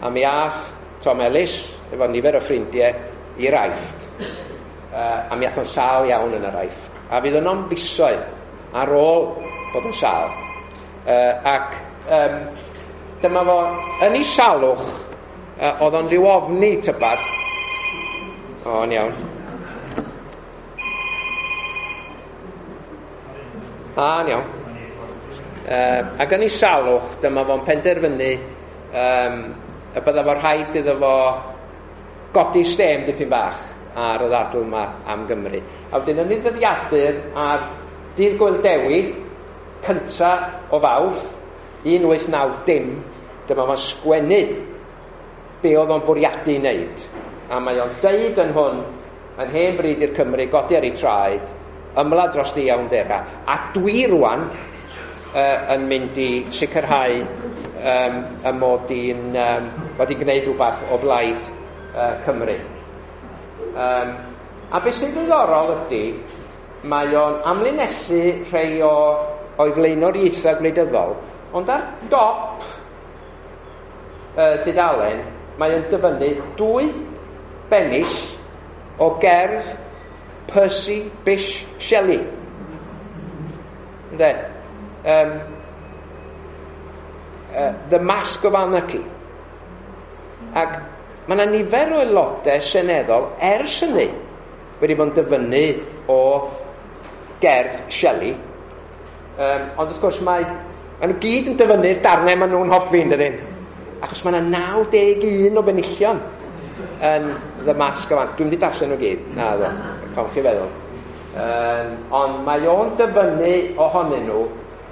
A mi ath Tom Ellis, efo nifer o ffrindiau, i'r Aifft. A mi ath o'n sâl iawn yn yr Aifft. A fydd yno'n fisoedd ar ôl bod yn sâl. Ac dyma fo, yn ei salwch, oedd o'n rhyw ofni tybad. O, yn iawn. A, yn iawn. Ac yn ei salwch, dyma fo'n penderfynu y bydda fo rhaid iddo fo godi stêm dipyn bach ar y ddadl yma am Gymru. A wedyn yn ei ddyddiadur ar dydd Gŵyl Dewi, cynta o Fawrth, 1890, dyma fo'n sgwennu be oedd o'n bwriadu i wneud. A mae o'n deud yn hwn, mae'n hen bryd i'r Cymru godi ar ei traed, ymladd dros di iawndera. A dwi rwan yn mynd i sicrhau y mod i'n wedi gwneud rhywbeth o blaid Cymru. A beth sy'n ddiddorol ydy, mae o'n amlinellu rhai o'i flaenoriaethau gwleidyddol, ond ar dop dudalen, mae o'n dyfynnu dwy bennill o gerdd Percy Bysshe Shelley. Ynde? The Mask of Anarchy. Ac mae yna nifer o aelodau seneddol ers hynny wedi bod yn dyfynnu o gerdd Shelley. Ond wrth gwrs mae nhw gyd yn dyfynnu'r darnau maen nhw'n hoffi, yn dydyn? Achos mae yna 91 o benillion yn The Mask of Anarchy. Dwi'n mynd i darllen nhw gyd. Na, ddo. Cawn chi feddwl. Ond mae o'n dyfynnu ohonyn nhw.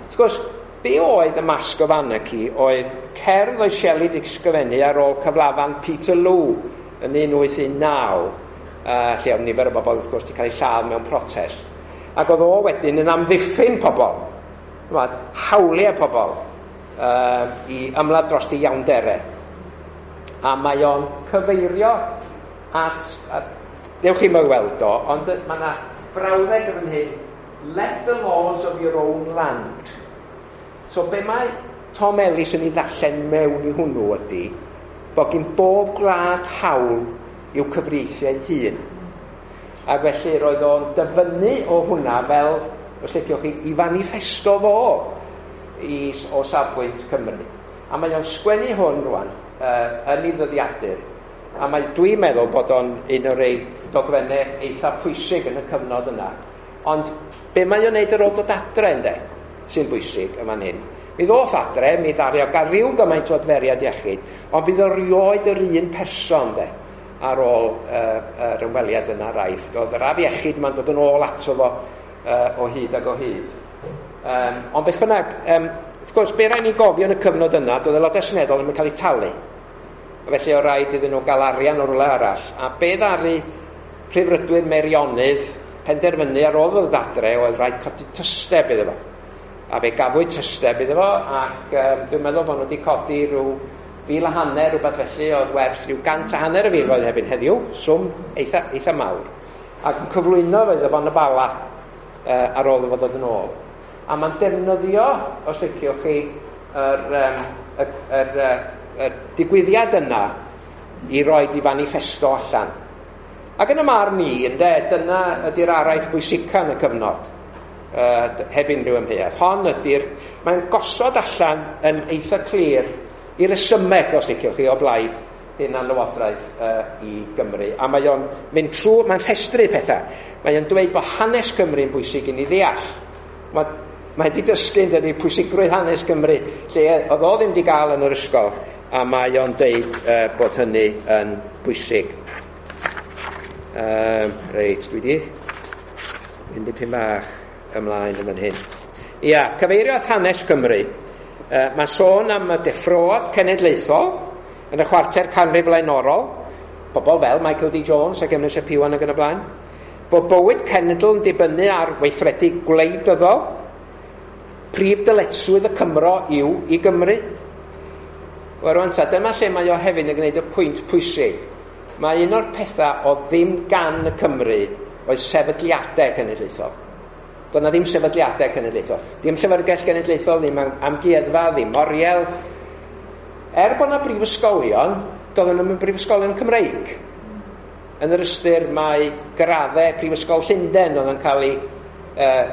Wrth gwrs, be oedd The Mask of Anarchy oedd cerdd oedd Shelley wedi ysgrifennu ar ôl cyflafan Peterloo yn 1819, lle oedd nifer o bobl wrth gwrs wedi cael eu lladd mewn protest. Ac oedd o wedyn yn amddiffyn pobl, hawliau pobl, i ymladd dros di iawnderau. A mae o'n cyfeirio at dewch chi'n weld o, ond mae yna frawddeg yn fan hyn, "Let the laws of your own land." So be mae Tom Ellis yn ei ddarllen mewn i hwnnw ydy bod gen bob gwlad hawl i'w cyfreithiau hun. Ac felly roedd o'n dyfynnu o hwnna fel, os liciwch chi, i faniffesto fo o safbwynt Cymru. A mae o'n sgwennu hwn rwan yn ei ddyddiadur. A mae, dwi'n meddwl bod o'n un o'r rei dogfennau eitha pwysig yn y cyfnod yna. Ond be mae o'n neud ar ôl dod adre, ynde, sy'n bwysig yma'n hyn. Mi ddoth adre, mi ddaru o gael rhyw gymaint o adferiad iechyd, ond fydd o rioed yr un person, de, ar ôl yr ymweliad yna Aifft. Oedd yr afiechyd yma'n dod yn ôl ato fo o hyd ac o hyd. Ond beth bynnag, wrth gwrs, be rhaid ni gofio yn y cyfnod yna, doedd aelodau seneddol ddim yn cael eu talu. A felly o rhaid iddyn nhw gael arian o rywle arall. A be ddaru Rhyddfrydwyr Meirionnydd penderfynu ar ôl ddod adre oedd rhaid codi tysteb iddo fo. A fe gafwyd tysteb iddo fo, ac dwi'n meddwl bod nhw wedi codi rhyw 1,500 rhywbeth felly, oedd werth rhyw 150 o filoedd erbyn heddiw, swm eitha mawr. Ac yn cyflwyno fo iddo fo yn y Bala ar ôl iddo fo ddod yn ôl. A mae'n defnyddio, os liciwch chi, y digwyddiad yna i roed i fanifesto allan. Ac yn y marn i, ynde, dyna ydy'r araith bwysica yn y cyfnod, heb unrhyw amheuaeth. Hon ydy'r, mae'n gosod allan yn eitha clir i resymeg, os liciwch chi, o blaid hunanlywodraeth i Gymru. A mae o'n mynd trwy, mae'n rhestru pethau. Mae o'n dweud bod hanes Cymru yn bwysig i ni ddeall. Mae wedi dysgu yn dynnu pwysigrwydd hanes Cymru, lle oedd o ddim wedi gael yn yr ysgol. A mae o'n deud bod hynny yn bwysig. Reit, dwi di mynd dipyn bach ymlaen yn fan hyn. Ia, cyfeirio at hanes Cymru. Mae sôn am y deffroad cenedlaethol yn y chwarter canrif flaenorol, bobl fel Michael D. Jones ac Emrys ap Iwan ac yn y blaen, bod bywyd cenedl yn dibynnu ar weithredu gwleidyddol, prif dyletswydd y Cymro yw i Gymru. Wel rwan ta, dyma lle mae o hefyd yn gwneud y pwynt pwysig. Mae un o'r pethau o ddim gan y Cymru oedd sefydliadau cenedlaethol. Doedd 'na ddim sefydliadau cenedlaethol. Dim llyfrgell genedlaethol, ddim amgueddfa, ddim oriel. Er bod 'na brifysgolion, doedden nhw'm yn brifysgolion Cymreig. Yn yr ystyr mae graddau Prifysgol Llundain oedd yn cael ei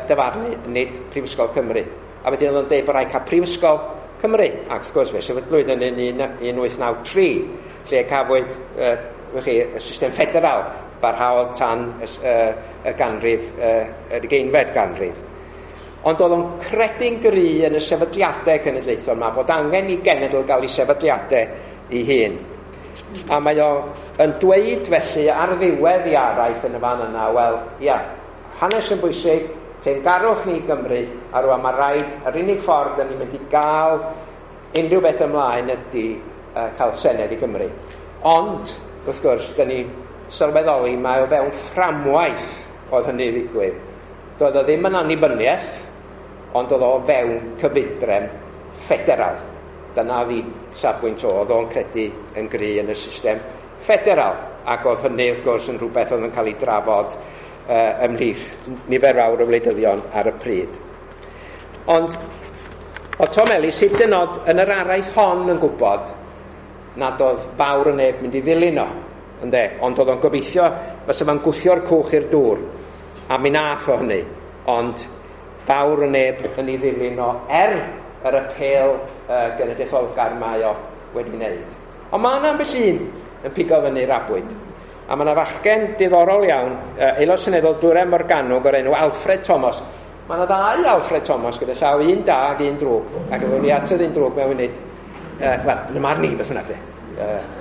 dyfarnu, nid Prifysgol Cymru. A wedyn oedd o'n deud bod rhaid cael Prifysgol Cymru. Ac wrth gwrs fe sefydlwyd yn 1893, lle cafwyd chi, y system ffederal barhaodd tan y ganrif, yr ugeinfed ganrif. Ond oedd o'n credu'n gry yn y sefydliadau cenedlaethol yma, bod angen i genedl gael ei sefydliadau ei hun. A mae o yn dweud felly ar ddiwedd i araith yn y fan yna, wel, ia, hanes yn bwysig, teyrngarwch ni i Gymru, a rwan mae rhaid, yr unig ffordd da ni'n mynd i gael unrhyw beth ymlaen ydy cael Senedd i Gymru. Ond, wrth gwrs, da ni sylweddoli mae o fewn fframwaith oedd hynny ddigwydd. Doedd o ddim yn annibyniaeth, ond oedd o fewn cyfundrefn ffederal. Dyna fi safbwynt o, oedd o'n credu yn gry yn y system ffederal. Ac oedd hynny, wrth gwrs, yn rhywbeth oedd yn cael ei drafod ymhlith nifer fawr o wleidyddion ar y pryd. Ond oedd Tom Ellis hyd yn oed yn yr araith hon yn gwybod nad oedd fawr o neb mynd i ddilyn o, ynde? Ond oedd o'n gobeithio fysa fo'n gwthio'r cwch i'r dŵr, a mi nath o hynny, ond fawr o neb yn ei ddilyn o er yr apêl genedlaetholgar mae o wedi wneud. Ond mae yna ambell un yn pigo fyny'r abwyd. A mae yna fachgen diddorol iawn, aelod seneddol Dwyrain Morgannwg o'r enw Alfred Thomas. Mae yna ddau Alfred Thomas gyda llaw, un da ac un drwg. Ac efo ni at yr un drwg mewn munud. Wel, yn y marn i, beth bynnag de.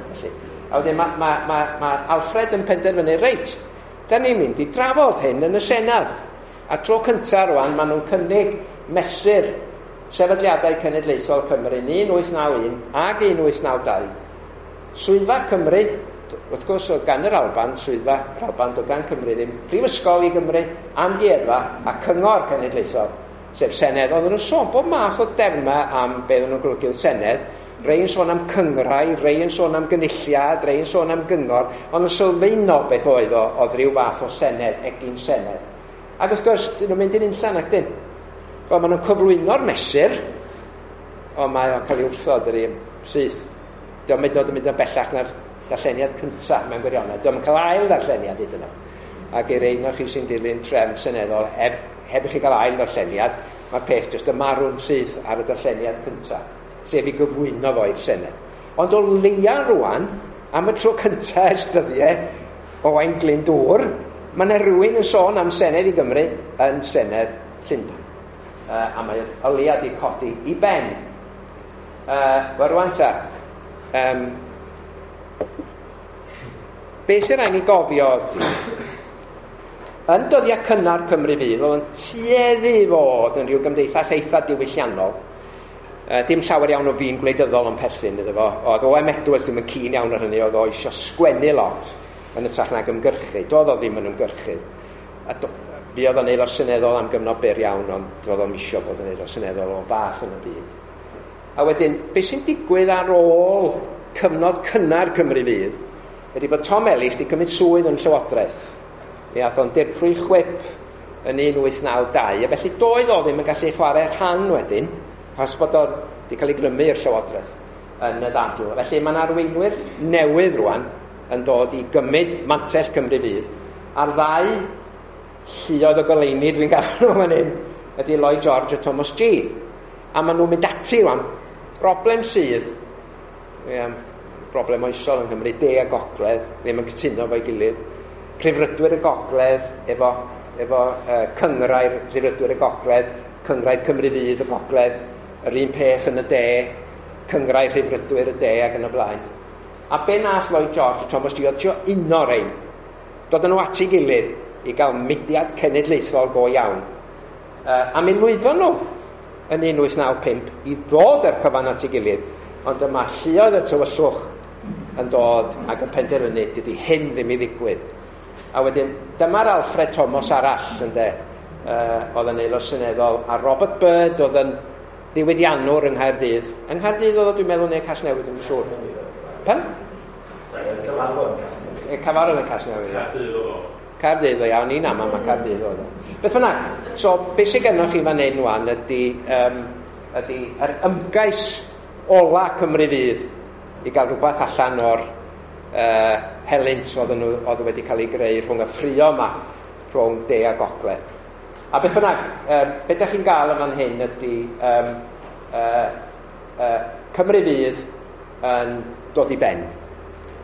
Felly. A wedyn mae Alfred yn penderfynu, reit, da ni'n mynd i drafod hyn yn y Senedd. A tro cyntaf rwan, maen nhw'n cynnig mesur sefydliadau cenedlaethol Cymru 1891 ac 1892. Swyddfa Cymru, wrth gwrs oedd gan yr Alban, swyddfa yr Alban, doedd gan Cymru ddim, Prifysgol i Gymru, amgueddfa a cyngor cenedlaethol, sef Senedd. Oedden nhw'n sôn bob math o dermau am be oedden nhw'n golygu oedd Senedd, rei yn sôn am cyngrau, rei yn sôn am gynulliad, rei yn sôn am gyngor, ond yn sylfaenol beth oedd o, oedd rhyw fath o Senedd, egin Senedd. Ac wrth gwrs, dyn nhw'n mynd i'n unllan ac dyn. Wel, maen nhw'n cyflwyno'r mesur, ond mae o'n cael ei wrthod yr un syth. Dio'm hyd yn oed yn mynd yn bellach na'r darlleniad cyntaf mewn gwirionedd. Dio'm yn cael ail ddarlleniad hyd yn oed. Ac i'r un o chi sy'n dilyn trefn seneddol, heb i chi gael ail ddarlleniad, mae'r peth jyst yn marw'n syth ar y darlleniad cyntaf, sef i gyflwyno fo i'r Senedd. Ond o leia rwan, am y tro cyntaf ers dyddiau Owain Glyndŵr, mae yna rhywun yn sôn am Senedd i Gymru yn Senedd Llundain. A mae o leia di codi i ben. Wel rwan ta, be sy'n rhaid ni gofio ydy, yn dyddiau cynnar Cymru Fydd, oedd yn tueddu i fod yn rhyw gymdeithas eitha diwylliannol. Dim llawer iawn o fin gwleidyddol yn perthyn iddo fo. Oedd O.M. Edwards ddim yn keen iawn ar hynny, oedd o eisiau sgwennu lot yn hytrach nag ymgyrchu. Doedd o ddim yn ymgyrchydd. A fi oedd o'n aelod seneddol am gyfnod byr iawn, ond doedd o'm isio bod yn aelod seneddol o fath yn y byd. A wedyn, beth sy'n digwydd ar ôl cyfnod cynnar Cymru Fydd ydy bod Tom Ellis wedi cymryd swydd yn Llywodraeth. Mi ath o'n dirprwy chwip yn 1892, a felly doedd o ddim yn gallu chwarae rhan wedyn, achos bod o wedi cael ei grymu i'r Llywodraeth yn y ddadl. Felly mae'n arweinwyr newydd rwan yn dod i gymryd mantell Cymru Fydd, a'r ddau lluoedd o goleuni dwi'n gael nhw fan hyn ydy Lloyd George a Thomas Gee. A maen nhw'n mynd ati rwan. Broblem sydd, broblem oesol yng Nghymru, de a gogledd, ddim yn cytuno efo'i gilydd. Rhyddfrydwyr y gogledd, efo cynghrair Rhyddfrydwyr y gogledd, cynghrair Cymru Fydd y gogledd, yr un peth yn y de. Cynghrair Rhyddfrydwyr y De ac yn y blaen. A be nath Lloyd George a Thomas G oedd trio uno rein. Dod â nhw at ei gilydd i gael mudiad cenedlaethol go iawn. A mi lwyddon nhw yn 1895 i ddod â'r cyfan at ei gilydd, ond yma lluoedd y tywyllwch yn dod ac yn penderfynu dydy hyn ddim i ddigwydd. A wedyn, dyma'r Alfred Thomas arall, ynde, oedd yn aelod seneddol, a Robert Byrd oedd yn ddiwydiannwr yng Nghaerdydd. Yng Nghaerdydd oedd o, dwi'n meddwl, neu Casnewydd, dwi'n siŵr. Pan? Cyfarfod yn Casnewydd. Caerdydd oedd o. Caerdydd o iawn, ni'n aml mae Caerdydd oedd o. Beth bynnag, so beth sydd gennych chi fan hyn wan ydy, ydy yr ymgais ola Cymru Fydd i gael rhywbeth allan o'r helynt oedd nhw, oedd wedi cael ei greu rhwng y ffrio yma, rhwng de a gogledd. A beth bynnag, beth ydych chi'n gael yn fan hyn ydy Cymru Fydd yn dod i ben.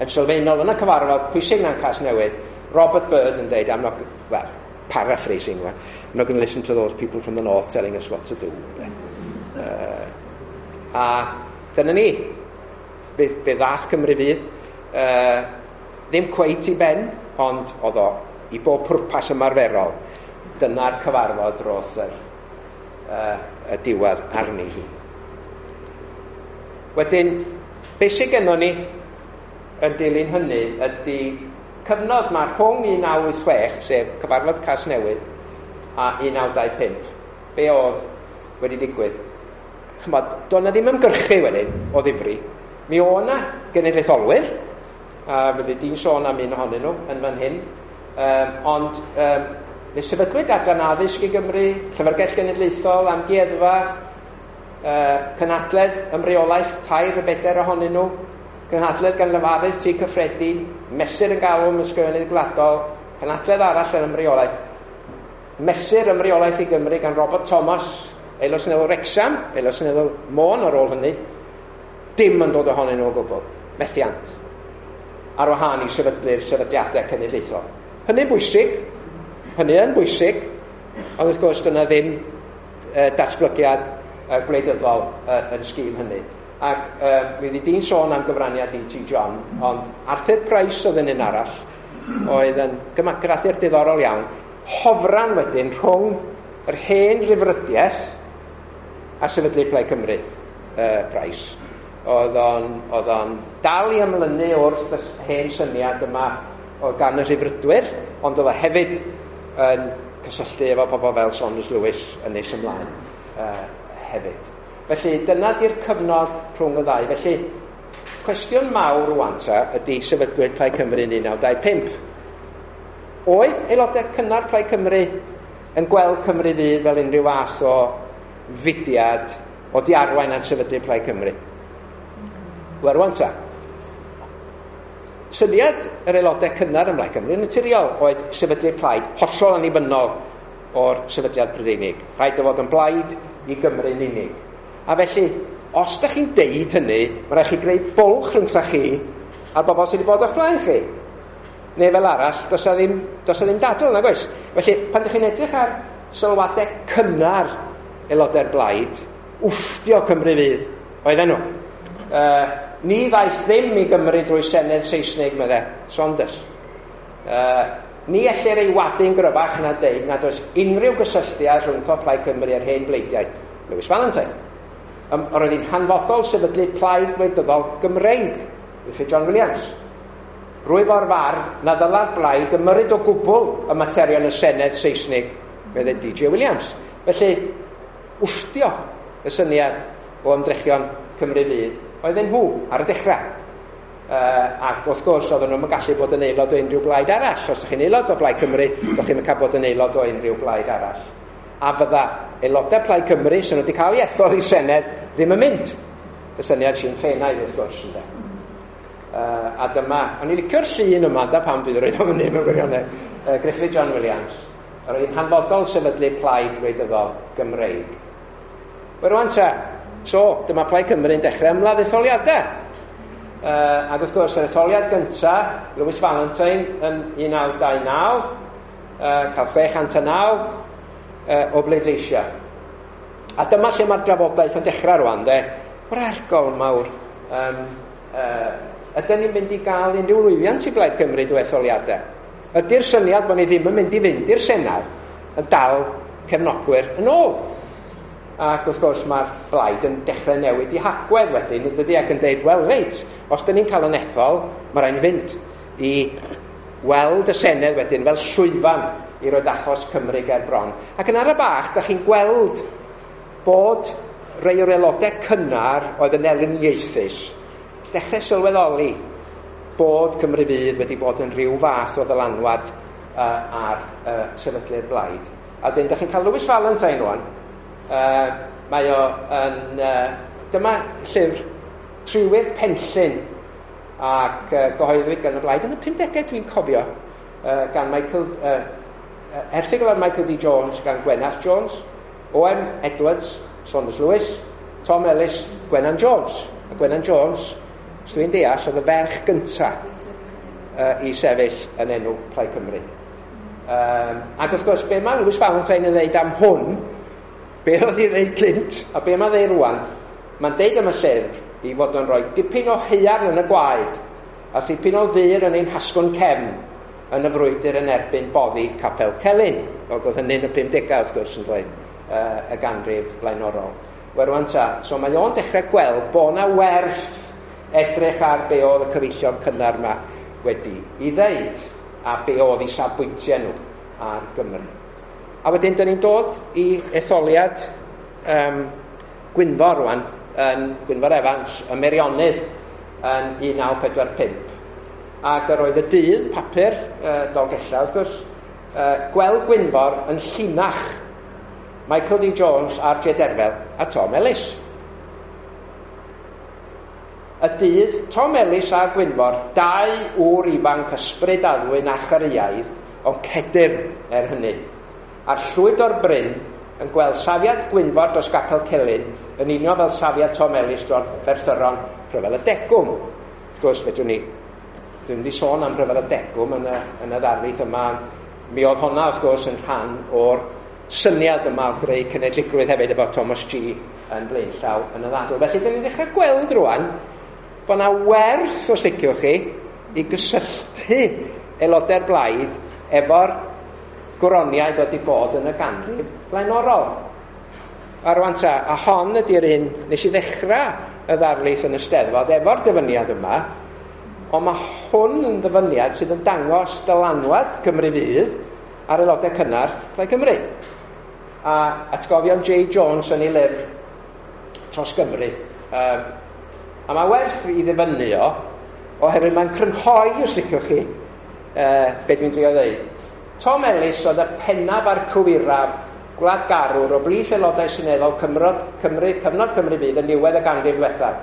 Yn sylfaenol yn y cyfarfod pwysig na'n Casnewydd, Robert Byrd yn dweud, I'm not, well, paraphrasing, I'm not going to listen to those people from the north telling us what to do. A dyna ni, fe ddath Cymru Fydd, ddim cweit i ben, ond oedd o i bob pwrpas ymarferol. Dyna'r cyfarfod roth y diwedd arni hi. Wedyn, beth sydd gennon ni yn dilyn hynny ydy cyfnod mae rhwng 1986, sef cyfarfod Casnewydd, a 1925. Be oedd wedi digwydd? Chymod, doedd 'na ddim ymgyrchu wedyn o ddifri. Mi oedd 'na genedlaetholwyr, a fyddi di'n sôn am un ohonyn nhw yn fan hyn, ond fe sefydlwyd Adran Addysg i Gymru, Llyfrgell Genedlaethol, Amgueddfa, Cynhadledd Ymreolaeth, 3 a 4 ohonyn nhw, Cynhadledd gan Lefarydd Tŷ Cyffredin, Mesur yn galw am Ysgrifennydd Gwladol, Cynhadledd arall yn Ymreolaeth, Mesur Ymreolaeth i Gymru gan Robert Thomas, Aelod Seneddol Wrecsam, Aelod Seneddol Môn ar ôl hynny, dim yn dod ohonyn nhw o gwbl, methiant, ar wahân i sefydlu'r sefydliadau cenedlaethol. Hynny'n bwysig, hynny yn bwysig, ond wrth gwrs dyna ddim datblygiad gwleidyddol yn sgîl hynny. Ac mi fyddi di'n sôn am gyfraniad E.T. John, ond Arthur Price oedd yn un arall, oedd yn gymagradur diddorol iawn, hofran wedyn rhwng yr hen ryfrydiaeth a sefydlu Plaid Cymru, Price. Oedd o'n dal i ymlynu wrth y hen syniad yma oedd gan y rhyfrydwyr, ond oedd o hefyd yn cysylltu efo pobl fel Saunders Lewis yn nes ymlaen hefyd. Felly dyna di'r cyfnod rhwng y ddau. Felly cwestiwn mawr rwan ta ydy sefydlwyd Plaid Cymru yn 1925. Oedd aelodau cynnar Plaid Cymru yn gweld Cymru Fydd fel unrhyw fath o fudiad o di arwain at sefydlu Plaid Cymru? Wel rwan ta, syniad yr aelodau cynnar ym Mhlaid Cymru yn naturiol oedd sefydlu plaid hollol annibynnol o'r sefydliad Prydeinig. Rhaid o fod yn blaid i Gymru'n unig. A felly, os da chi'n deud hynny, mae rhaid chi greu bwlch rhwngtha chi a'r bobl sydd wedi bod o'ch blaen chi. Neu fel arall, does 'na ddim dadl, nag oes? Felly, pan ydych chi'n edrych ar sylwadau cynnar aelodau'r blaid, wfftio Cymru Fydd oedden nhw. Ni ddaeth ddim i Gymru drwy Senedd Saesneg, medde Saunders. Ni ellir ei wadu'n gryfach na deud nad oes unrhyw gysylltiad rhwngtho Plaid Cymru a'r hen bleidiau. Lewis Valentine. Yr oedd hi'n hanfodol sefydlu plaid wleidyddol Gymreig, Griffith John Williams. Rwyf o'r farn na ddyla'r blaid ymyrryd o gwbl y materion y Senedd Saesnig, medde DJ Williams. Felly, wfftio y syniad o ymdrechion Cymru Fydd oedden nhw ar y dechrau. Ac wrth gwrs oedden nhw'n gallu bod yn aelod o unrhyw blaid arall. Os ydych chi'n aelod o Blaid Cymru, ydych chi'n cael bod yn aelod o unrhyw blaid arall. A fydda aelodau Plaid Cymru sy'n wedi cael ei ethol i Senedd ddim yn mynd. Y syniad Sinn Féinaidd wrth gwrs, ynde. A dyma, o'n i'n licio'r llun yma, da pam bydd roedd o fyny mewn gwirionedd, Griffith John Williams. Yr oedd hi'n hanfodol sefydlu plaid wleidyddol Gymreig. Wel rwan ta, so dyma Plaid Cymru'n dechrau ymladd etholiadau. Ac wrth gwrs, yr etholiad gynta, Lewis Valentine yn 1929, cael 609 o bleidleisiau. A dyma lle mae'r drafodaeth yn dechrau rwan, de. O'r argol mawr, ydyn ni'n mynd i gael unrhyw lwyddiant i Blaid Cymru drwy etholiadau? Ydy'r syniad bod ni ddim yn mynd i fynd i'r Senedd yn dal cefnogwyr yn ôl? Ac wrth gwrs mae'r blaid yn dechrau newid i hagwedd wedyn, yn dydy, ac yn deud, wel reit, os dyn ni'n cael yn ethol, mae rhaid ni fynd i weld y Senedd wedyn fel llwyfan i roed achos Cymru ger bron. Ac yn ara bach, da chi'n gweld bod rei o'r aelodau cynnar oedd yn elyniaethus dechrau sylweddoli bod Cymru Fydd wedi bod yn rhyw fath o ddylanwad ar sefydlu'r blaid. A dyn, da chi'n cael Lewis Valentine rwan. Mae o yn... dyma llyfr Triwyr Penllyn ac gyhoeddwyd gan y blaid yn y 50au dwi'n cofio, gan Michael, erthygl ar Michael D. Jones gan Gwenallt Jones, O.M. Edwards, Saunders Lewis, Tom Ellis, Gwennan Jones. A Gwennan Jones, os dwi'n deall, oedd y ferch gynta i sefyll yn enw Plaid Cymru. Ac wrth gwrs, be mae Lewis Valentine yn dweud am hwn, be oedd i ddeud gynt, a be mae'n ddeud rwan, mae'n deud am y llyfr i fod yn rhoi dipyn o haearn yn y gwaed a thipyn o ddur yn ein hasgwrn cefn yn y frwydr yn erbyn boddi Capel Celyn. Ac oedd hynny'n y 50au wrth gwrs yn dweud y ganrif blaenorol. Wel rwan ta, so mae o'n dechrau gweld bod na werth edrych ar be oedd y cyfeillion cynnar yma wedi i ddeud a be oedd eu safbwyntiau nhw ar Gymru. A wedyn, dyn ni'n dod i etholiad Gwynfor rwan, yn Gwynfor Evans, y Meirionnydd yn 1945. Ac yr oedd y dydd papur, Dolgellau wrth gwrs, gweld Gwynfor yn llinach Michael D. Jones, R.J. Derfel a Tom Ellis. Y dydd, Tom Ellis a Gwynfor, dau ŵr ifanc ysbryd addwyn a chareiaidd, ond cedyrn er hynny. A'r llwyd o'r bryn yn gweld safiad Gwynfor dros Gapel Celyn yn union fel safiad Tom Ellis dros Ferthyron Rhyfel y Degwm. Wrth gwrs, fedrwn ni, dwi'n mynd i sôn am Rhyfel y Degwm yn y ddarlith yma. Mi oedd honna, wrth gwrs, yn rhan o'r syniad yma o greu cenedligrwydd hefyd efo Thomas G yn blaenllaw yn y ddadl. Felly, dyn ni'n dechrau gweld rwan bod yna werth, os liciwch chi, i gysylltu aelodau'r blaid efo'r gwroniaid wedi bod yn y ganrif blaenorol. A rwan ta, a hon ydy'r un nes i ddechrau y ddarlith yn y Steddfod efo'r dyfyniad yma, ond mae hwn yn ddyfyniad sydd yn dangos dylanwad Cymru Fydd ar aelodau cynnar Plaid Cymru. A atgofion J. Jones yn ei lyfr Tros Gymru. A mae werth i ddyfynnu o, oherwydd mae'n crynhoi, os liciwch chi, be dwi'n drio ddeud. Tom Ellis oedd y pennaf a'r cywiraf gwladgarwr o blith aelodau seneddol Cymru, cyfnod Cymru Fydd yn niwedd y ganrif ddiwethaf.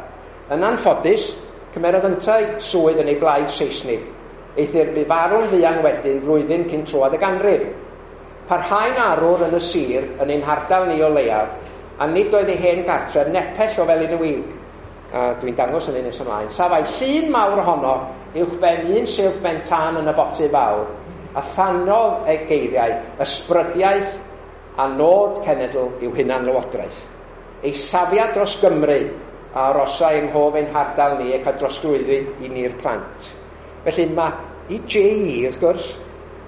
Yn anffodus, cymerodd yntau swydd yn ei blaid Seisnig. Eithr bu farw'n fuan wedyn flwyddyn cyn troad y ganrif. Parhau'n arwr yn y sir, yn ein hardal ni o leiaf, a nid oedd ei hen gartref nepell o Felin y Wig. A dwi'n dangos yn nes ymlaen. Safai llun mawr ohono uwchben un silff ben tân yn y boty fawr, a thanodd ei geiriau ysbrydiaeth a nod cenedl yw hunan lywodraeth. Ei safiad dros Gymru a arosai yng nghof ein hardal ni ac a drosglwyddwyd i ni'r plant. Felly mae i J.E. wrth gwrs,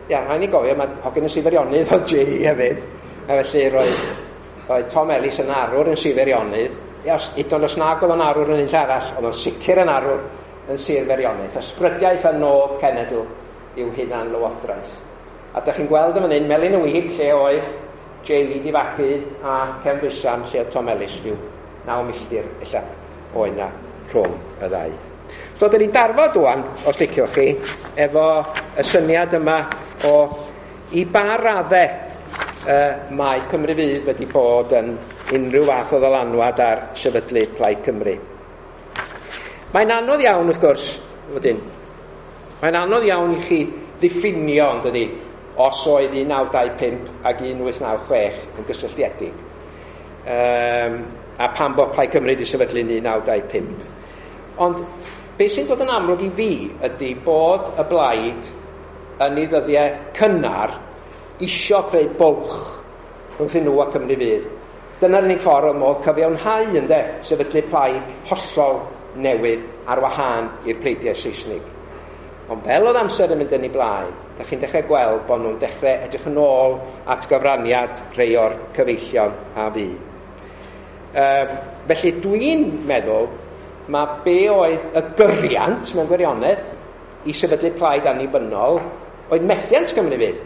ia, rhaid ni gofio, mae hogyn y Sir Feirionnydd oedd J.E. hefyd, a felly roedd Tom Ellis yn arwr yn Sir Feirionnydd. Ia, hyd yn oed os nag oedd o'n arwr yn un lle arall, oedd o'n sicr yn arwr yn Sir Feirionnydd. Ysbrydiaeth a nod cenedl yw hunan lywodraeth. A dych chi'n gweld yn fan hyn, Melin y Wig, lle oedd J.E. di fagu, a Cefn Dwysam, lle oedd Tom Ellis, rhyw 9 milltir ella oedd na rhwng y ddau. So, dyn ni'n darfod ŵan, os liciwch chi, efo y syniad yma o i ba raddau mae Cymru Fydd wedi bod yn unrhyw fath o ddylanwad ar sefydlu Plaid Cymru. Mae'n anodd iawn, wrth gwrs, wedyn. Mae'n anodd iawn i chi ddiffinio, ond ydy, os oedd 1925 ac 1896 yn gysylltiedig. A pam bod Plaid Cymru wedi sefydlu 1925. Ond beth sy'n dod yn amlwg i fi ydy bod y blaid yn ei ddyddiau cynnar isio creu bwlch rhwngthyn nhw a Cymru Fydd. Dyna'r unig ffordd o modd cyfiawnhau, ynde, sefydlu plaid hollol newydd ar wahân i'r pleidiau Saesnig. Ond fel oedd amser yn mynd yn ei blaen, da chi'n dechrau gweld bod nhw'n dechrau edrych yn ôl at gyfraniad rhai o'r cyfeillion a fi. Felly dwi'n meddwl mae be oedd y gyriant mewn gwirionedd i sefydlu plaid annibynnol oedd methiant Cymru Fydd.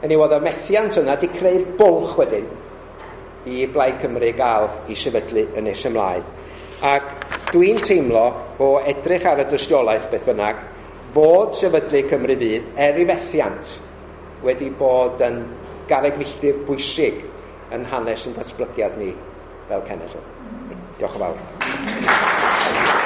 Hynny oedd y methiant yna di creu'r bwlch wedyn i Blaid Cymru gael i sefydlu yn nes ymlaen. Ac dwi'n teimlo o edrych ar y dystiolaeth beth bynnag fod sefydlu Cymru Fydd er i fethiant wedi bod yn garreg milltir bwysig yn hanes yn datblygiad ni fel cenedl. Diolch yn fawr.